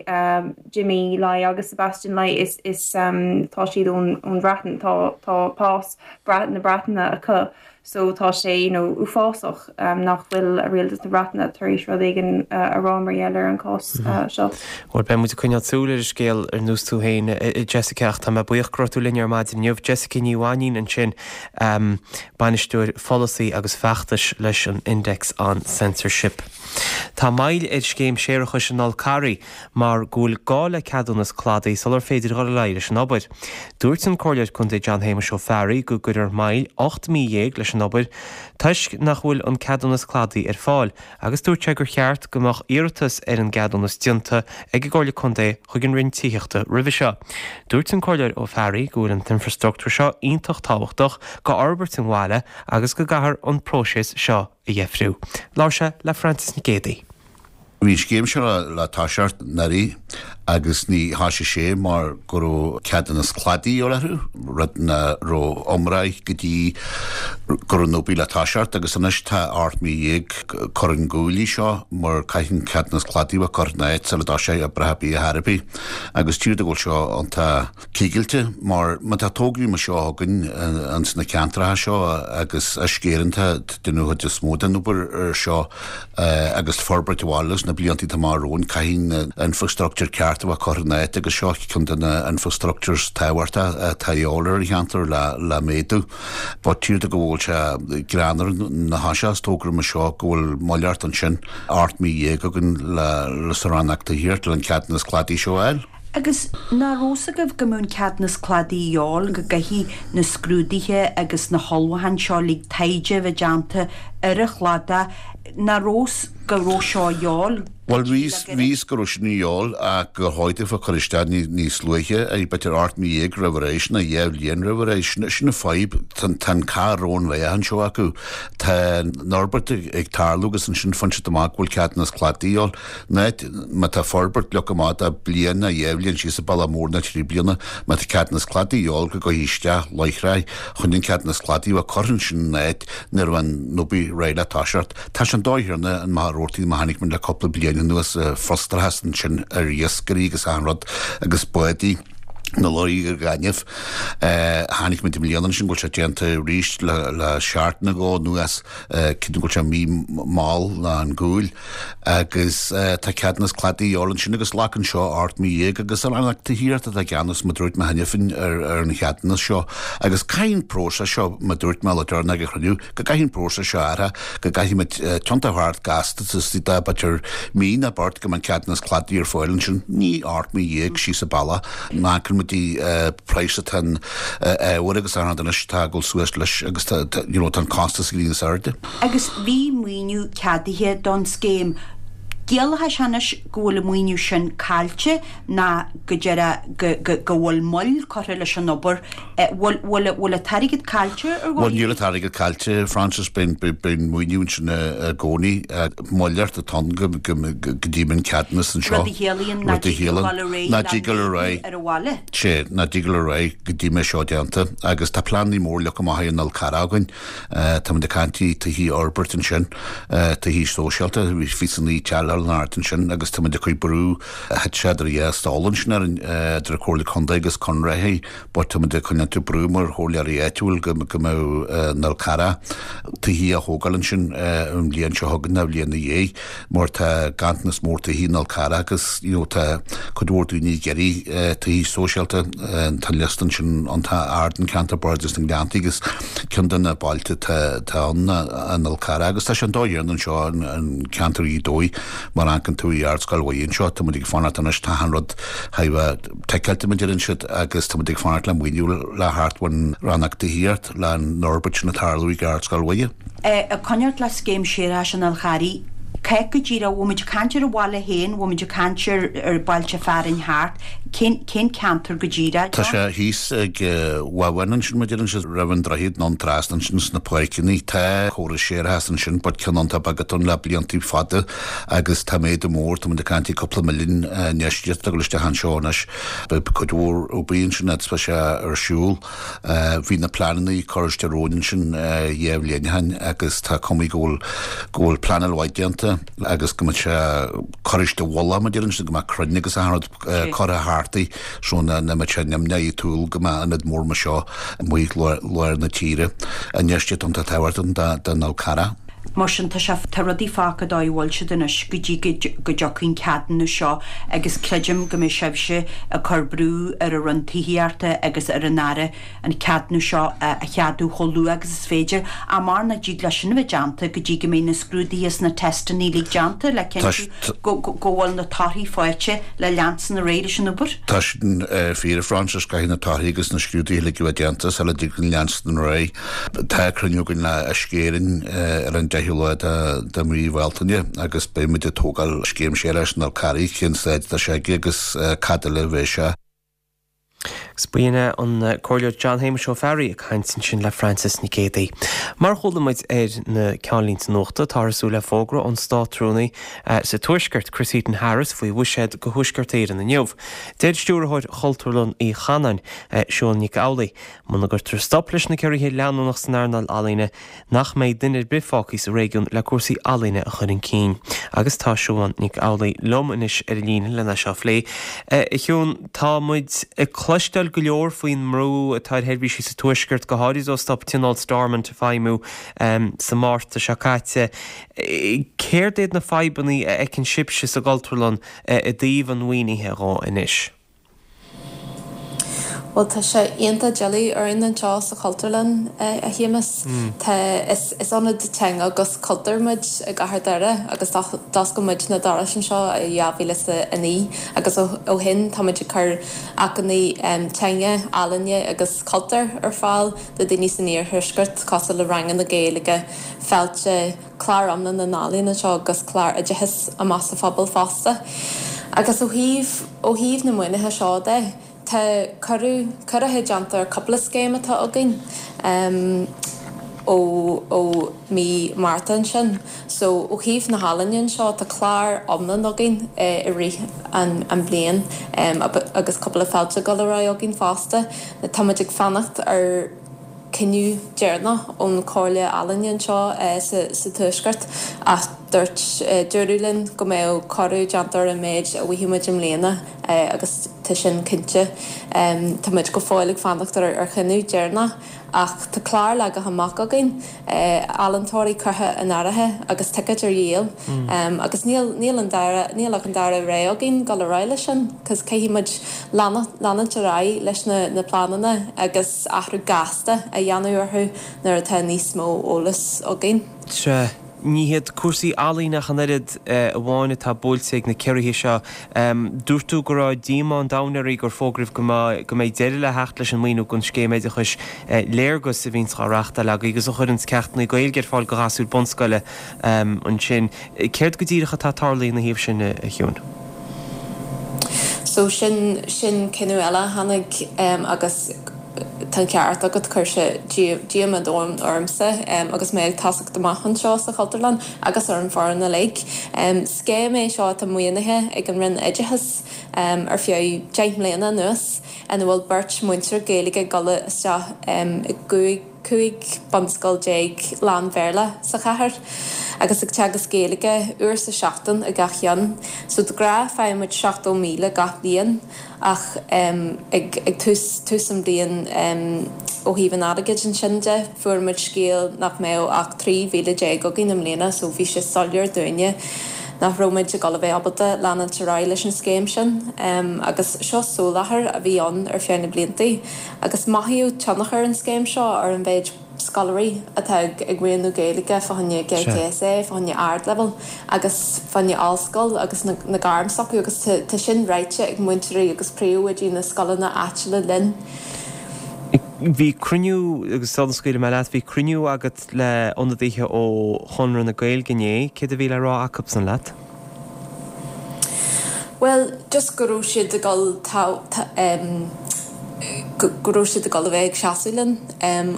Jimmy Lai agus Sebastian Lai is is tá siad ón ón Bhreatain tá tá pas na Breataine acu so tá sé you know uafásach nach bhfuil rialtas na Breataine tar éis rud éigin a rá mar gheall ar an cás seo. Bhuel beidh muid ag coinneáil súil ar an scéal ar nós tú féin a Jessica ach tá mé buíoch go raibh tú linn ar maidin inniu. Jessica Ní Mhainín ansin, Bainisteoir Pholasaí agus Feachtais leis an Index on Censorship. Tá moill ar scéim séarachais an Fhol Carraigh mar go bhfuil gá le ceadúnas cladaigh sular féidir dhul ar aghaidh leis an obair. Dúirt an Comhairleoir Contae John Shéamuis Ó Fearraigh go gcuirfear moill 18 mí leis an obair toisc nach bhfuil an ceadúnas cladaigh ar fáil agus dúirt sé gur cheart go mbeadh iarratas ar an gceadúnas déanta ag an gComhairle Contae chuig an Roinn Tithíochta roimhe seo. Dúirt an Comhairleoir Ó Fearraigh go bhfuil an t-infreastruchtúr seo iontach tábhachtach go fhorbairt an bhaile agus go gcaithfear an próiseas seo a dheifriú. Labhair sé le Frances Nic Géadaigh. Bhí an scéim seo le toiseacht anuraidh agus ní thoisigh sé mar go raibh ceadúnas cladaigh de dhíobháil orthu, rud nach raibh iomráidh go dtí go raibh an obair le toiseacht agus anois tá 18 mí curtha chun gcúil í seo mar caithfidh an ceadúnas cladaigh a bheith curtha in áit sula dtoiseoidh oibreacha ar bith ar chor ar bith agus tchíthear go bhfuil seo iontach coigilte mar má tá tograí mar seo againn ins na ceantracha seo agus Uisce Éireann atá ag déanamh an chuid is mó den obair ar seo agus forbairt an bhaile sna blianta atá amach romhainn caithfidh an infrastructure ceart a bheith curtha in áit agus seo ceann de na infrastructures tábhachtacha atá de dhíobháil ar an cheantar le méadú. But tchíthear go bhfuil sé greannmhar nuair a thoiseos togra mar seo go bhfuil moill ort ansin 18 mí againn le sa rannóg tithíochta le an ceadúnas cladaigh seo a fháil. Agus nach raibh 's agaibh go mbeadh an ceadúnas cladaigh de dhíobháil, go gcaithfidh na scrúduithe agus na hullmhúcháin seo uilig taighde a bheith déanta ar an chladach, nach raibh 's go raibh seo de dhíobháil? Bhuel, bhí 's go raibh sin de dhíobháil ach gur chóir daofa cur isteach níos luaithe, b'fhéidir 18 mí roimh ré, nó 2 bhliain roimh ré. Sin an fadhb, tá an cath romhainn bheith anseo acu. Tá an fhorbairt ag tarlú agus ansin faigheann siad amach go bhfuil ceadúnas cladaigh de dhíobháil. Nó má tá forbairt leagtha amach do bliain nó 2 bhliain síos an bealach mór nó 3 bliana, má tá ceadúnas cladaigh de dhíobháil go gcuirfí isteach láithreach chun an ceadúnas cladaigh a bheith curtha ansin in áit nuair a bheidh an obair réidh le toiseacht. Tá sé an dóigh chéanna an maith a mar a chonaic muid le cúpla bliain anuas, frustrachas ansin ar iascairí agus achan rud agus bádaí na lorry ar ghainimh. Chonaic muid i mbliana ansin go bhfuil sé déanta arís le seachtain nó dhó anuas, creidim go bhfuil sé mí mall ná an gcúil. Agus tá ceadúnas cladaigh de dhíobháil ansin agus glacann seo 18 mí agus an Rannóg Tithíochta atá i gceannas mar dúirt mé cheana féin ar an cheadúnas seo agus caithfidh an próiseas seo mar dúirt mé le deireanach ag an chruinniú go gcaithfidh an próiseas seo athrú go gcaithfidh muid tiontach thart gasta istigh de b'fhéidir mí nó beirt go mbeidh an ceadúnas cladaigh ar fáil ansin ní 18 mí síos an bealach má amharcann muid praghas atá an ábhar agus an rud anois atá ag dul suas leis agus tá you know tá an costas ag éirí níos airde. Agus bhí maoiniú ceadaithe don scéim. Ciallaíonn sé anois go bhfuil an maoiniú sin caillte ná go deireadh go go go bhfuil moill curtha leis an obair. Bhfuil bhfuil bhfuil an t-airgead caillte ar Bhuel níl an t-airgead caillte Frances, beidh beidh an maoiniú ansin i gcónaí. Moill atá ann go go go dtí an ceadúnas anseo. Rud a chiallaíonn nach dtig dul ar aghaidh Nach dtig dul ar aghaidh. ar an bhaile. Sea, nach dtig dul ar aghaidh go dtí mbeidh seo déanta agus tá pleananna mór leagtha amach ag an Fhol Carrach againn. Táimid ag caint faoi tithí a fhorbairt ansin, tithí sóisialta, bhí 29 teaghlach in airde ansin agus táimid ag cur brú, thit sé idir dhá stól ansin orainn, idir an Chomhairle Contae agus Conraitheoirí but táimid ag coinneáil brú mar chomhairleoirí áitiúil go mbeadh an Fhol Carrach. tithí a thógáil ansin an bhliain seo chugainn nó an bhliain ina dhiaidh mar tá ganntanas mór tithí in Fhál Carrach agus you know tá cuid mhór daoine ag iarraidh tithí sóisialta. Tá an liosta ansin iontach ard in Ceantar Bardasach na nGleannta agus ceann de na bailte atá ann ná an Fhál Carrach agus tá sé an dóigh chéanna anseo in ceantar Ghaoth Dobhair mar a amharcann tú i Ardscoil Mhuire anseo tá muid ag fanacht anois tá achan rud thar a bheith ticeáilte mar a deireann siad agus tá muid ag fanacht le maoiniú le theacht ón rannóg tithíocht le an fhorbairt sin ag tarlú ag Ardscoil Mhuire. Ag coinneáilt le scéim séarachais an Fháil Charraigh, cá go díreach, bhfuil muid ag caint ar an bhaile féin, bhfuil muid ag caint ar ar bailte fearainn thart, cén cén ceantar go díreach, Tá sé thíos ag Bhabháin ansin, mar a deireann siad, roimh an droichead anonn trasna ansin sna páirceanna. Tá córas séarachais ansin but ceann iontach beag atá ann le blianta fada agus tá méadú mór, tá muid ag caint ar cúpla milliún infheistíocht ag dul isteach anseo anois. Beidh cuid mhór obair ansin fhad is beidh sé ar siúl. Bhí na pleananna curtha isteach romhainn ansin dhá bhliain ó shin agus tá cuma go bhfuil go bhfuil pleanáil mhaith déanta agus go mbeidh sé curtha isteach i bhfolach mar a deireann siad go mbeadh crainn agus achan rud curtha thart í so nach mbeadh sé nimhneach i dtúl go mbeadh ionad mór mar seo amuigh i lár na tíre. Infheistíocht iontach tábhachtach don Fhál Carrach. Mar sin, tá sé, tá rudaí fágtha dóigh a bhfuil siad anois go dtí go dtiocfaidh an ceadúnas seo agus creidim go mbeidh sibhse ag cur brú ar an Roinn Tithíochta agus ar an Aire an ceadúnas seo a cheadú chomh luath agus is féidir. Ach mar nach dtig leis sin a bheith déanta go dtí go mbeidh na scrúduithe is na teisteanna uilig déanta le cinntiú go bhfuil na torthaí faighte le leanstan ar aghaidh leis an obair. Tá sin fíor, a Phroinsias, caithfidh na torthaí agus na scrúduithe uilig a bheith déanta sula dtig linn leanstan ar aghaidh. Tá cruinniú againn le Uisce Éireann ar an 10ú lá de mhí Bhealtaine agus beidh muid ag tógáil scéim séarachais an Fháil Charraigh, cén staid atá sé aige agus cad eile a bheidh sé. Agus b'in é an Comhairleoir John Shéamuis Ó Fearraigh ag caint ansin le Frances Nic Géadaigh. Mar a chuala muid ar na ceannlínte nuachta, táthar ag súil le fógra ón Státrúnaí sa Tuaisceart, Chris Heaton-Harris, faoi bhuiséad do Thuaisceart Éireann inniu. Deir Stiúrthóir Chultúrlann Uí Chanáin, Siún Nic Amhlaigh, Muna gcuirtear stop leis na ciorruithe leanúnach san earnáil ealaíne, nach mbeidh duine ar bith fágtha sa réigiún le cúrsaí ealaíne a chur chun cinn. Agus tá Siubhán Nic Amhlaigh liom anois ar an líne lena seo a phlé. A Shiún, tá muid ag cloisteáil go leor faoin mbrú atá ar sheirbhísí sa Tuaisceart, go háirid ó stop Tionól Stormont feidhmiú sa Márta seo caite. Céard iad na fadhbanna a fheiceann sibhse sa gCultúrlann i dtaobh an mhaoinithe dhó anois? Bhuel, tá sé iontach doiligh orainn anseo sa Chultúrlann, a Shéamus. Tá, is ionad teanga agus cultúir muid i gcathair Dhoire agus d'oscail muid na dorais anseo i 2009 agus ó shin tá muid ag cur acmhainní teanga, ealaíne agus cultúir ar fáil do daoine san iarthuaisceart cosúil le ranganna Gaeilge, féilte, clár iomlán na n-ealaíon anseo agus clár oideachais amach sa phobal fosta. Agus ó thaobh, ó thaobh na maoinithe seo de, tá cuireadh, ciorruithe déanta ar cúpla scéim atá againn ó, ó mí Márta ansin. So ó thaobh na healaíne anseo, tá clár iomlán againn i rith an, an bhliain agus cúpla féilte ag dul ar aghaidh againn fosta. Tá muid ag fanacht ar. cinneadh deireanach ón Chomhairle Ealaíne anseo sa Tuaisceart ach dúirt, dúradh linn go mbeadh corrú déanta ar an méid a bhfaighidh muid i mbliana agus tá sin cinnte. Tá muid go fóill ag fanacht ar chinneadh deireanach ach tá clár leagtha amach againn, ealaíontóirí curtha in áirithe agus ticéid ar dhíol agus níl, níl an dara, níl ach an dara rogha againn dul ar aghaidh leis sin cos caithfidh muid leanúint ar aghaidh leis na na pleananna agus athrú gasta a dhéanamh orthu nuair atá níos mó eolas againn. Sea, ní hiad cúrsaí ealaíne ach an oiread amháin atá buailte ag na ciorruithe seo. Dúirt tú go raibh díomá an domhain oraibh gur fógraíodh go mbeidh go mbeidh deireadh le theacht leis an maoiniú don scéim oideachais Léargas a bhíonns á reachtáil agaibh agus a chuireanns ceachtanna Gaeilge ar fáil do ghasúir bunscoile ansin. Céard go díreach atá tarlaithe ina thaobh sin, a Shiúin? So sin, sin cinneadh eile a tháinig agus tá an ceart agat, chuir sé díomá domhain ormsa agus mé ag tosacht amach anseo sa Chultúrlann agus ar an bhfoireann uilig. Scéim é seo atá maoinithe ag an Roinn Oideachais ar feadh 10 mbliana anuas ina bhfuil beirt mhúinteoir Gaeilge ag dul isteach i gcúig 15 bunscoil lán-Bhéarla sa chathair agus ag teagasc Gaeilge uair sa seachtain i gach cheann. So de ghnáth faigheann muid 70,000 gach bliain ach ag ag tús tús an bhliain. Ó thaobh an airgid ansin de, fuair muid scéal nach mbeadh ach 13,000 againn i mbliana so bhí sé soiléir dúinne nach raibh muid ag dul a bheith ábalta leanúint ar aghaidh leis an scéim sin. Agus seo soláthar a bhí ann ar feadh na bliantaí agus mothaíodh tionchar an scéim seo ar an mhéid scoláirí atá ag roghnú Gaeilge fá choinne GCSE, fá choinne ardleibhéal agus fá choinne ollscoil agus na gairm s'acu agus tá sin ráite ag múinteoirí agus príomhoidí na scoileanna áitiúla linn. Bhí cruinniú, agus sula scaoilfidh mé leat, bhí cruinniú agat le ionadaithe ó Chonradh na Gaeilge inné, céard a bhí le rá acusan leat? Bhuel, just go raibh siad ag dul go raibh siad ag dul a bheith ag seasamh linn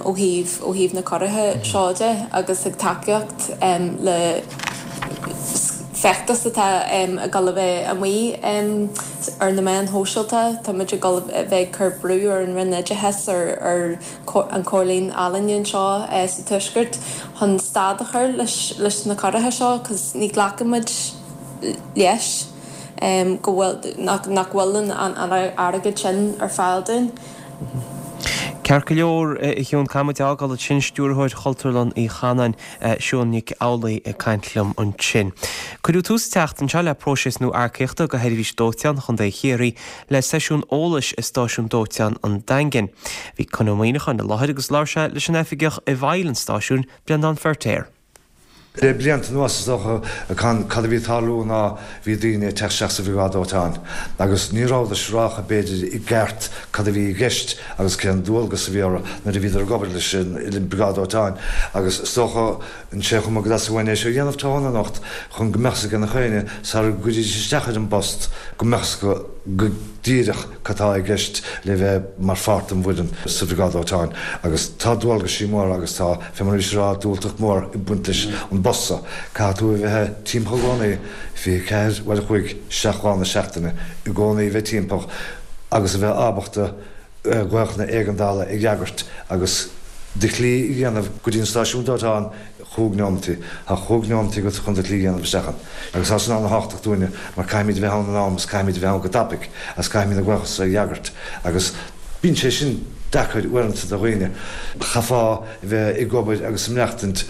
ó thaobh ó thaobh na ciorruithe seo de agus ag tacaíocht le feachtas atá ag dul a bheith amuigh ar na meáin shóisialta. Tá muid ag dul a bheith ag cur brú ar an Roinn Oideachais, ar ar an Chomhairle Ealaíne anseo sa Tuaisceart chun stad a chur leis na ciorruithe seo cos ní ghlacann muid leis go bhfuil, nach bhfuil an airgead sin ar fáil dúinn. Ceart go leor, a Shiún, caithfidh muid a fhágáil ansin, Stiúrthóir Chultúrlann Uí Chanáin, Siún Nic Amhlaoibh ag caint liom ansin. Cuireadh tús an tseachtain seo le próiseas nua earcaíochta do Sheirbhís Dóiteáin Chontae Chiarraí le seisiún eolais i Stáisiún Dóiteáin an Daingin. Bhí Con Ó Muíneacháin i láthair agus labhair sé leis an oifigeach i bhfeighil an stáisiúin, Breandán Feirtéar. Le blianta anuas is dócha cad a bhí ag tarlú ná bhí daoine ag teacht isteach sa bhriogáid dóiteáin agus ní rabhadar siúráilte b'fhéidir i gceart cad a bhí i gceist agus cén dualgas a bhí orthu nuair a bhíodar ag obair leis an bhriogáid dóiteáin agus is dócha an sé chuma go dteastaigh uainn é seo a dhéanamh tráthnóna anocht chun go mbeadh 's ag gach éinne sara gcuiridís isteach ar an bpost go mbeadh 's acu go díreach cad tá i gceist le bheith mar pháirt den bhfoireann sa Bhriogáid Dóiteáin agus tá dualgaisí móra agus tá, fé mar a bhís ag rá, dúthracht mhór ag baint leis an bpost so. Caithfidh tú a bheith timpeall i gcónaí, 24 uair a chloig, 7 lá na seachtaine, i gcónaí a bheith timpeall agus a bheith ábalta glaochanna éigeandála a fhreagairt agus do shlí a dhéanamh go dtí an stáisiún dóiteáin chúig neomataí. Tá chúig neomataí agat chun do shlí a dhéanamh isteach ann. Agus tá sin ana-thábhachtach dúinne mar caithfimid a bheith ann in am agus caithfimid a bheith ann go tapaidh agus caithfimid na glaocha so a fhreagairt agus bíonn sé sin deacair uaireanta do dhaoine. Chaithfeá a bheith ag obair agus ag maireachtaint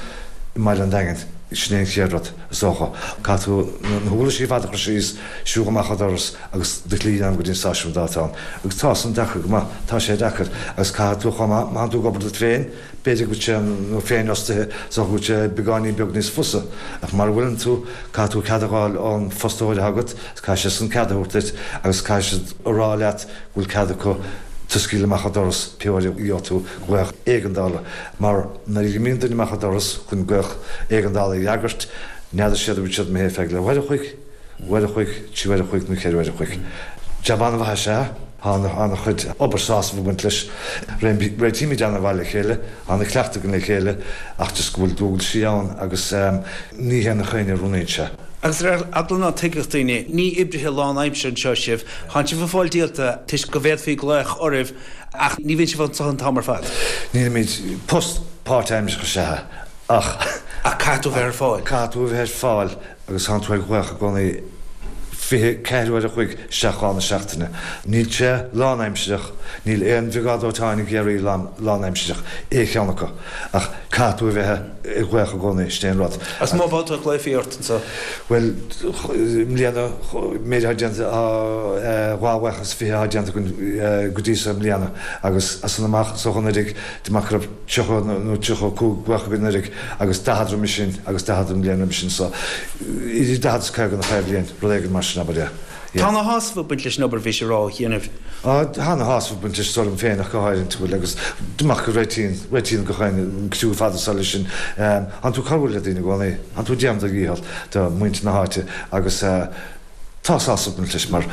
i mbaile an Daingin. Sin é an chéad rud, is dócha. Caithfidh tú na huirlisí ar fad a chur síos, siúl amach an doras agus do shlí a dhéanamh go dtí an stáisiún dóiteáin. Agus tá san deacair go maith. Tá sé deacair. Agus caithfidh tú chomh maith, má thánn tú ag obair duit féin, b'fhéidir go bhfuil sé, nó féinfhostaithe, is dócha go bhfuil sé beagáinín beag níos fusa. Ach mara bhfuileann tú, caithfidh tú cead a dh'fháil ón fostóir atá agat, agus caithfidh sé san cead a thabhairt duit, agus caithfidh siad a rá leat go bhfuil cead acu tú a scaoileadh amach an doras pé uair a gheobhaidh tú glaoch éigeandála. Mar nuair a imíonn duine amach an doras chun glaoch éigeandála a fhreagairt, n'fheadar siad an bhfuil siad imithe ar feadh leathuair a chloig, uair a chloig, trí uair a chloig nó cheithre uair a chloig. Jab an-mhaith is ea. Tá an-chuid obair sásamh ag baint leis. Réitímid an-mhaith le chéile, tá an-chleachtadh againn le chéile ach just go bhfuil dualgaisí ann agus ní hé nach éinne a roghnaíonn sé. Agus ar eagla ná tuigfeadh daoine, ní oibrithe lánaimseartha anseo sibh, tánn sibh ag fáil díolta toisc go bhféadfaí glaoch oraibh ach ní bhíonn sibh anseo an t-am ar fad. Nílimid, post páirtaimseartha is ea é ach. Ach caithfidh tú a bheith ar fáil. Caithfidh tú a bheith ar fáil. agus tánn tú ar ghlaoch i gcónaí 24 uair a chloig 7 lá na seachtaine. Níl sé lánaimsireach, níl aon bhriogáid dóiteáin i gCiarraí lánaimsireach, aon cheann acu, ach caithfidh tú a bheith ar ghlaoch i gcónaí, sin é an rud. Is mó babhta a ghlaofaí ort anseo? Bhuel, i mbliana, méid atá déanta, dhá ghlaoch is fiche atá déanta againn go dtí so i mbliana agus as san amach, is dócha anuraidh, de mar go raibh. 30 nó 35 glaoch againn anuraidh agus 40 roimis sin agus 40 an bhliain roimis sin so idir 40 is 50 gach aon bhliain, rud éigin mar sin abair, yeah. Tá ana-shásamh ag baint leis an obair bhís ag rá a dhéanamh. Á, tá ana-shásamh ag baint leis, is dóigh liom féin ach go háirithe, bhuel agus amach go réitíonn, réitíonn gach aon, an criú ar fad anseo leis sin. Tánn tú ag cabhrú le daoine i gcónaí, tánn tú ag déanamh do dhícheall do mhuintir na háite agus eh, Tá sásamh ag baint leis mar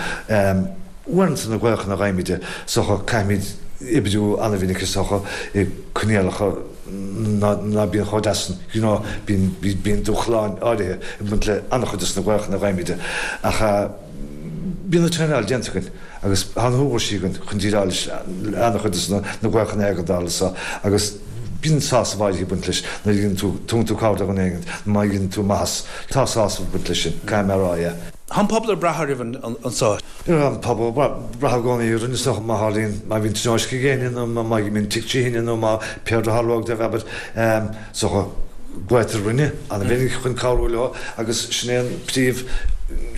uaireanta na glaochanna a fhaighimid is dócha caithfimid oibriú an-mhinic is dócha i coinníollacha ná bíonn chomh deas san you know bíonn bíonn dúshláin áirithe ag baint le an-chuid des na glaochanna a fhaighimid ach bíonn an traenáil déanta againn agus tá na huirlisí againn chun déileáil leis an-chuid des na glaochanna éigeandála so agus bíonn sásamh áirithe ag baint leis nuair a dhéanann tú, tugann tú cabhair do dhuine éigin nó má dhéanann tú maitheas, tá sásamh ag baint leis sin, caithfidh mé a rá, yeah. Tá an pobal ag brath oraibh anseo. Tá an pobal ag brath i gcónaí orainn is dócha má tharlaíonn, má bhíonn tionóisc ag éinne nó má bhíonn tigh trí thine nó má pé rud a tharlódh dóibh abair is dócha glaotar orainne an-mhinic chun cabhrú leo agus sin é an príomh,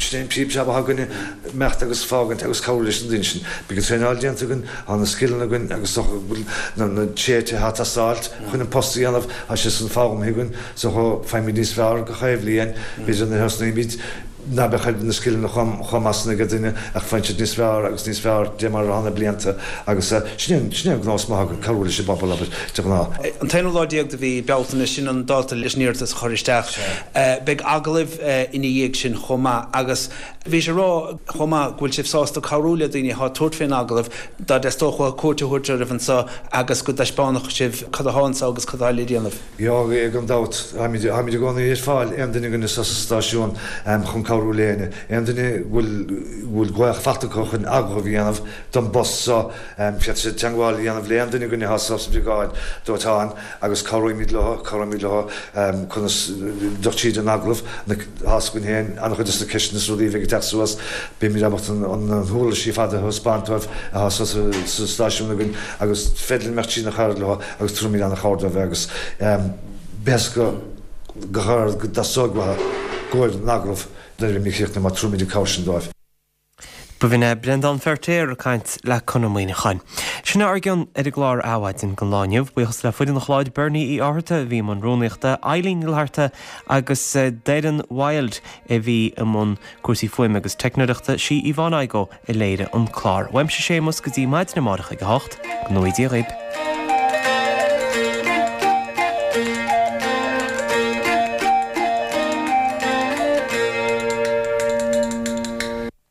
sin é an príomh jab atá againne, imeacht agus fágaint agus cabhrú leis na daoine sin. Beidh an traenáil déanta againn, tá na scileanna againn agus is dócha go bhfuil na tréithe atá ag teastáilt chun an post a dhéanamh, tá sé san foghlamtha againn. So faighimid níos fearr gach aon bhliain, b'fhéidir nuair a thosnaímid ná beadh na scileanna chomh maith san ag duine ach faigheann siad níos fearr agus níos fearr de mar atá na blianta agus sin é sin é an gnós maith againn, cabhrú leis an bpobal, abair, de ghnáth. An t-aonú lá déag de mhí Bealtaine, sin an dáta leis an iarratas a chur isteach. Beidh agallaimh ina dhiaidh sin chomh maith agus bhís ag rá chomh maith go bhfuil sibh sásta cabhrú le daoine atá ag tabhairt fén agallamh dá dteastódh uathu cuairt a thabhairt oraibh anseo agus go dtaispeánfadh sibh cad atá anseo agus cad atá le déanamh. Yeah, gan dabht, táimid i gcónaí ar fáil, aon duine againne sa stáisiún chun cabhrú le éinne. Aon duine go bhfuil glaoch faighte acu chun agallamh a dhéanamh don bpost seo, féadfaidh siad teagmháil a dhéanamh le aon duine againne atá sa bhriogáid dóiteáin agus cabhróimid leo, cabhróimid leo conas dul tríd an agallamh. Tá a fhios againn féin an-chuid de na ceisteanna is rudaí a bheidh ag teacht suas, beimid ábalta na huirlisí ar fad a thaispeáint dóibh atá sa stáisiún againn agus féidir linn imeacht tríd na chabhair leo. agus tabharfaimid an-chabhair dóibh agus b'éasca go go dteastóidh uathu gabháil don agallamh nuair a bheimid críochnaithe mar tabharfaimid an cabhair sin dóibh. B'in é Breandán Feirtéar ag caint le Conor Muíneacháin. Sin é ár gcion ar an gclár Adhmhaidin don lá inniu. Buíochas le foireann an chláir, Bernie Uí Fhátharta a bhí i mbun rúnaíochta, Eileen Ní Fhlatharta agus Doireann Wilde a bhí i mbun cúrsaí fuaime agus teicneoireachta, sí Yvonne Igoe a léirigh an clár. Uaimse Séamus go dtí maidin amárach ag a hocht, go ngnóthaí Dia dhaoib.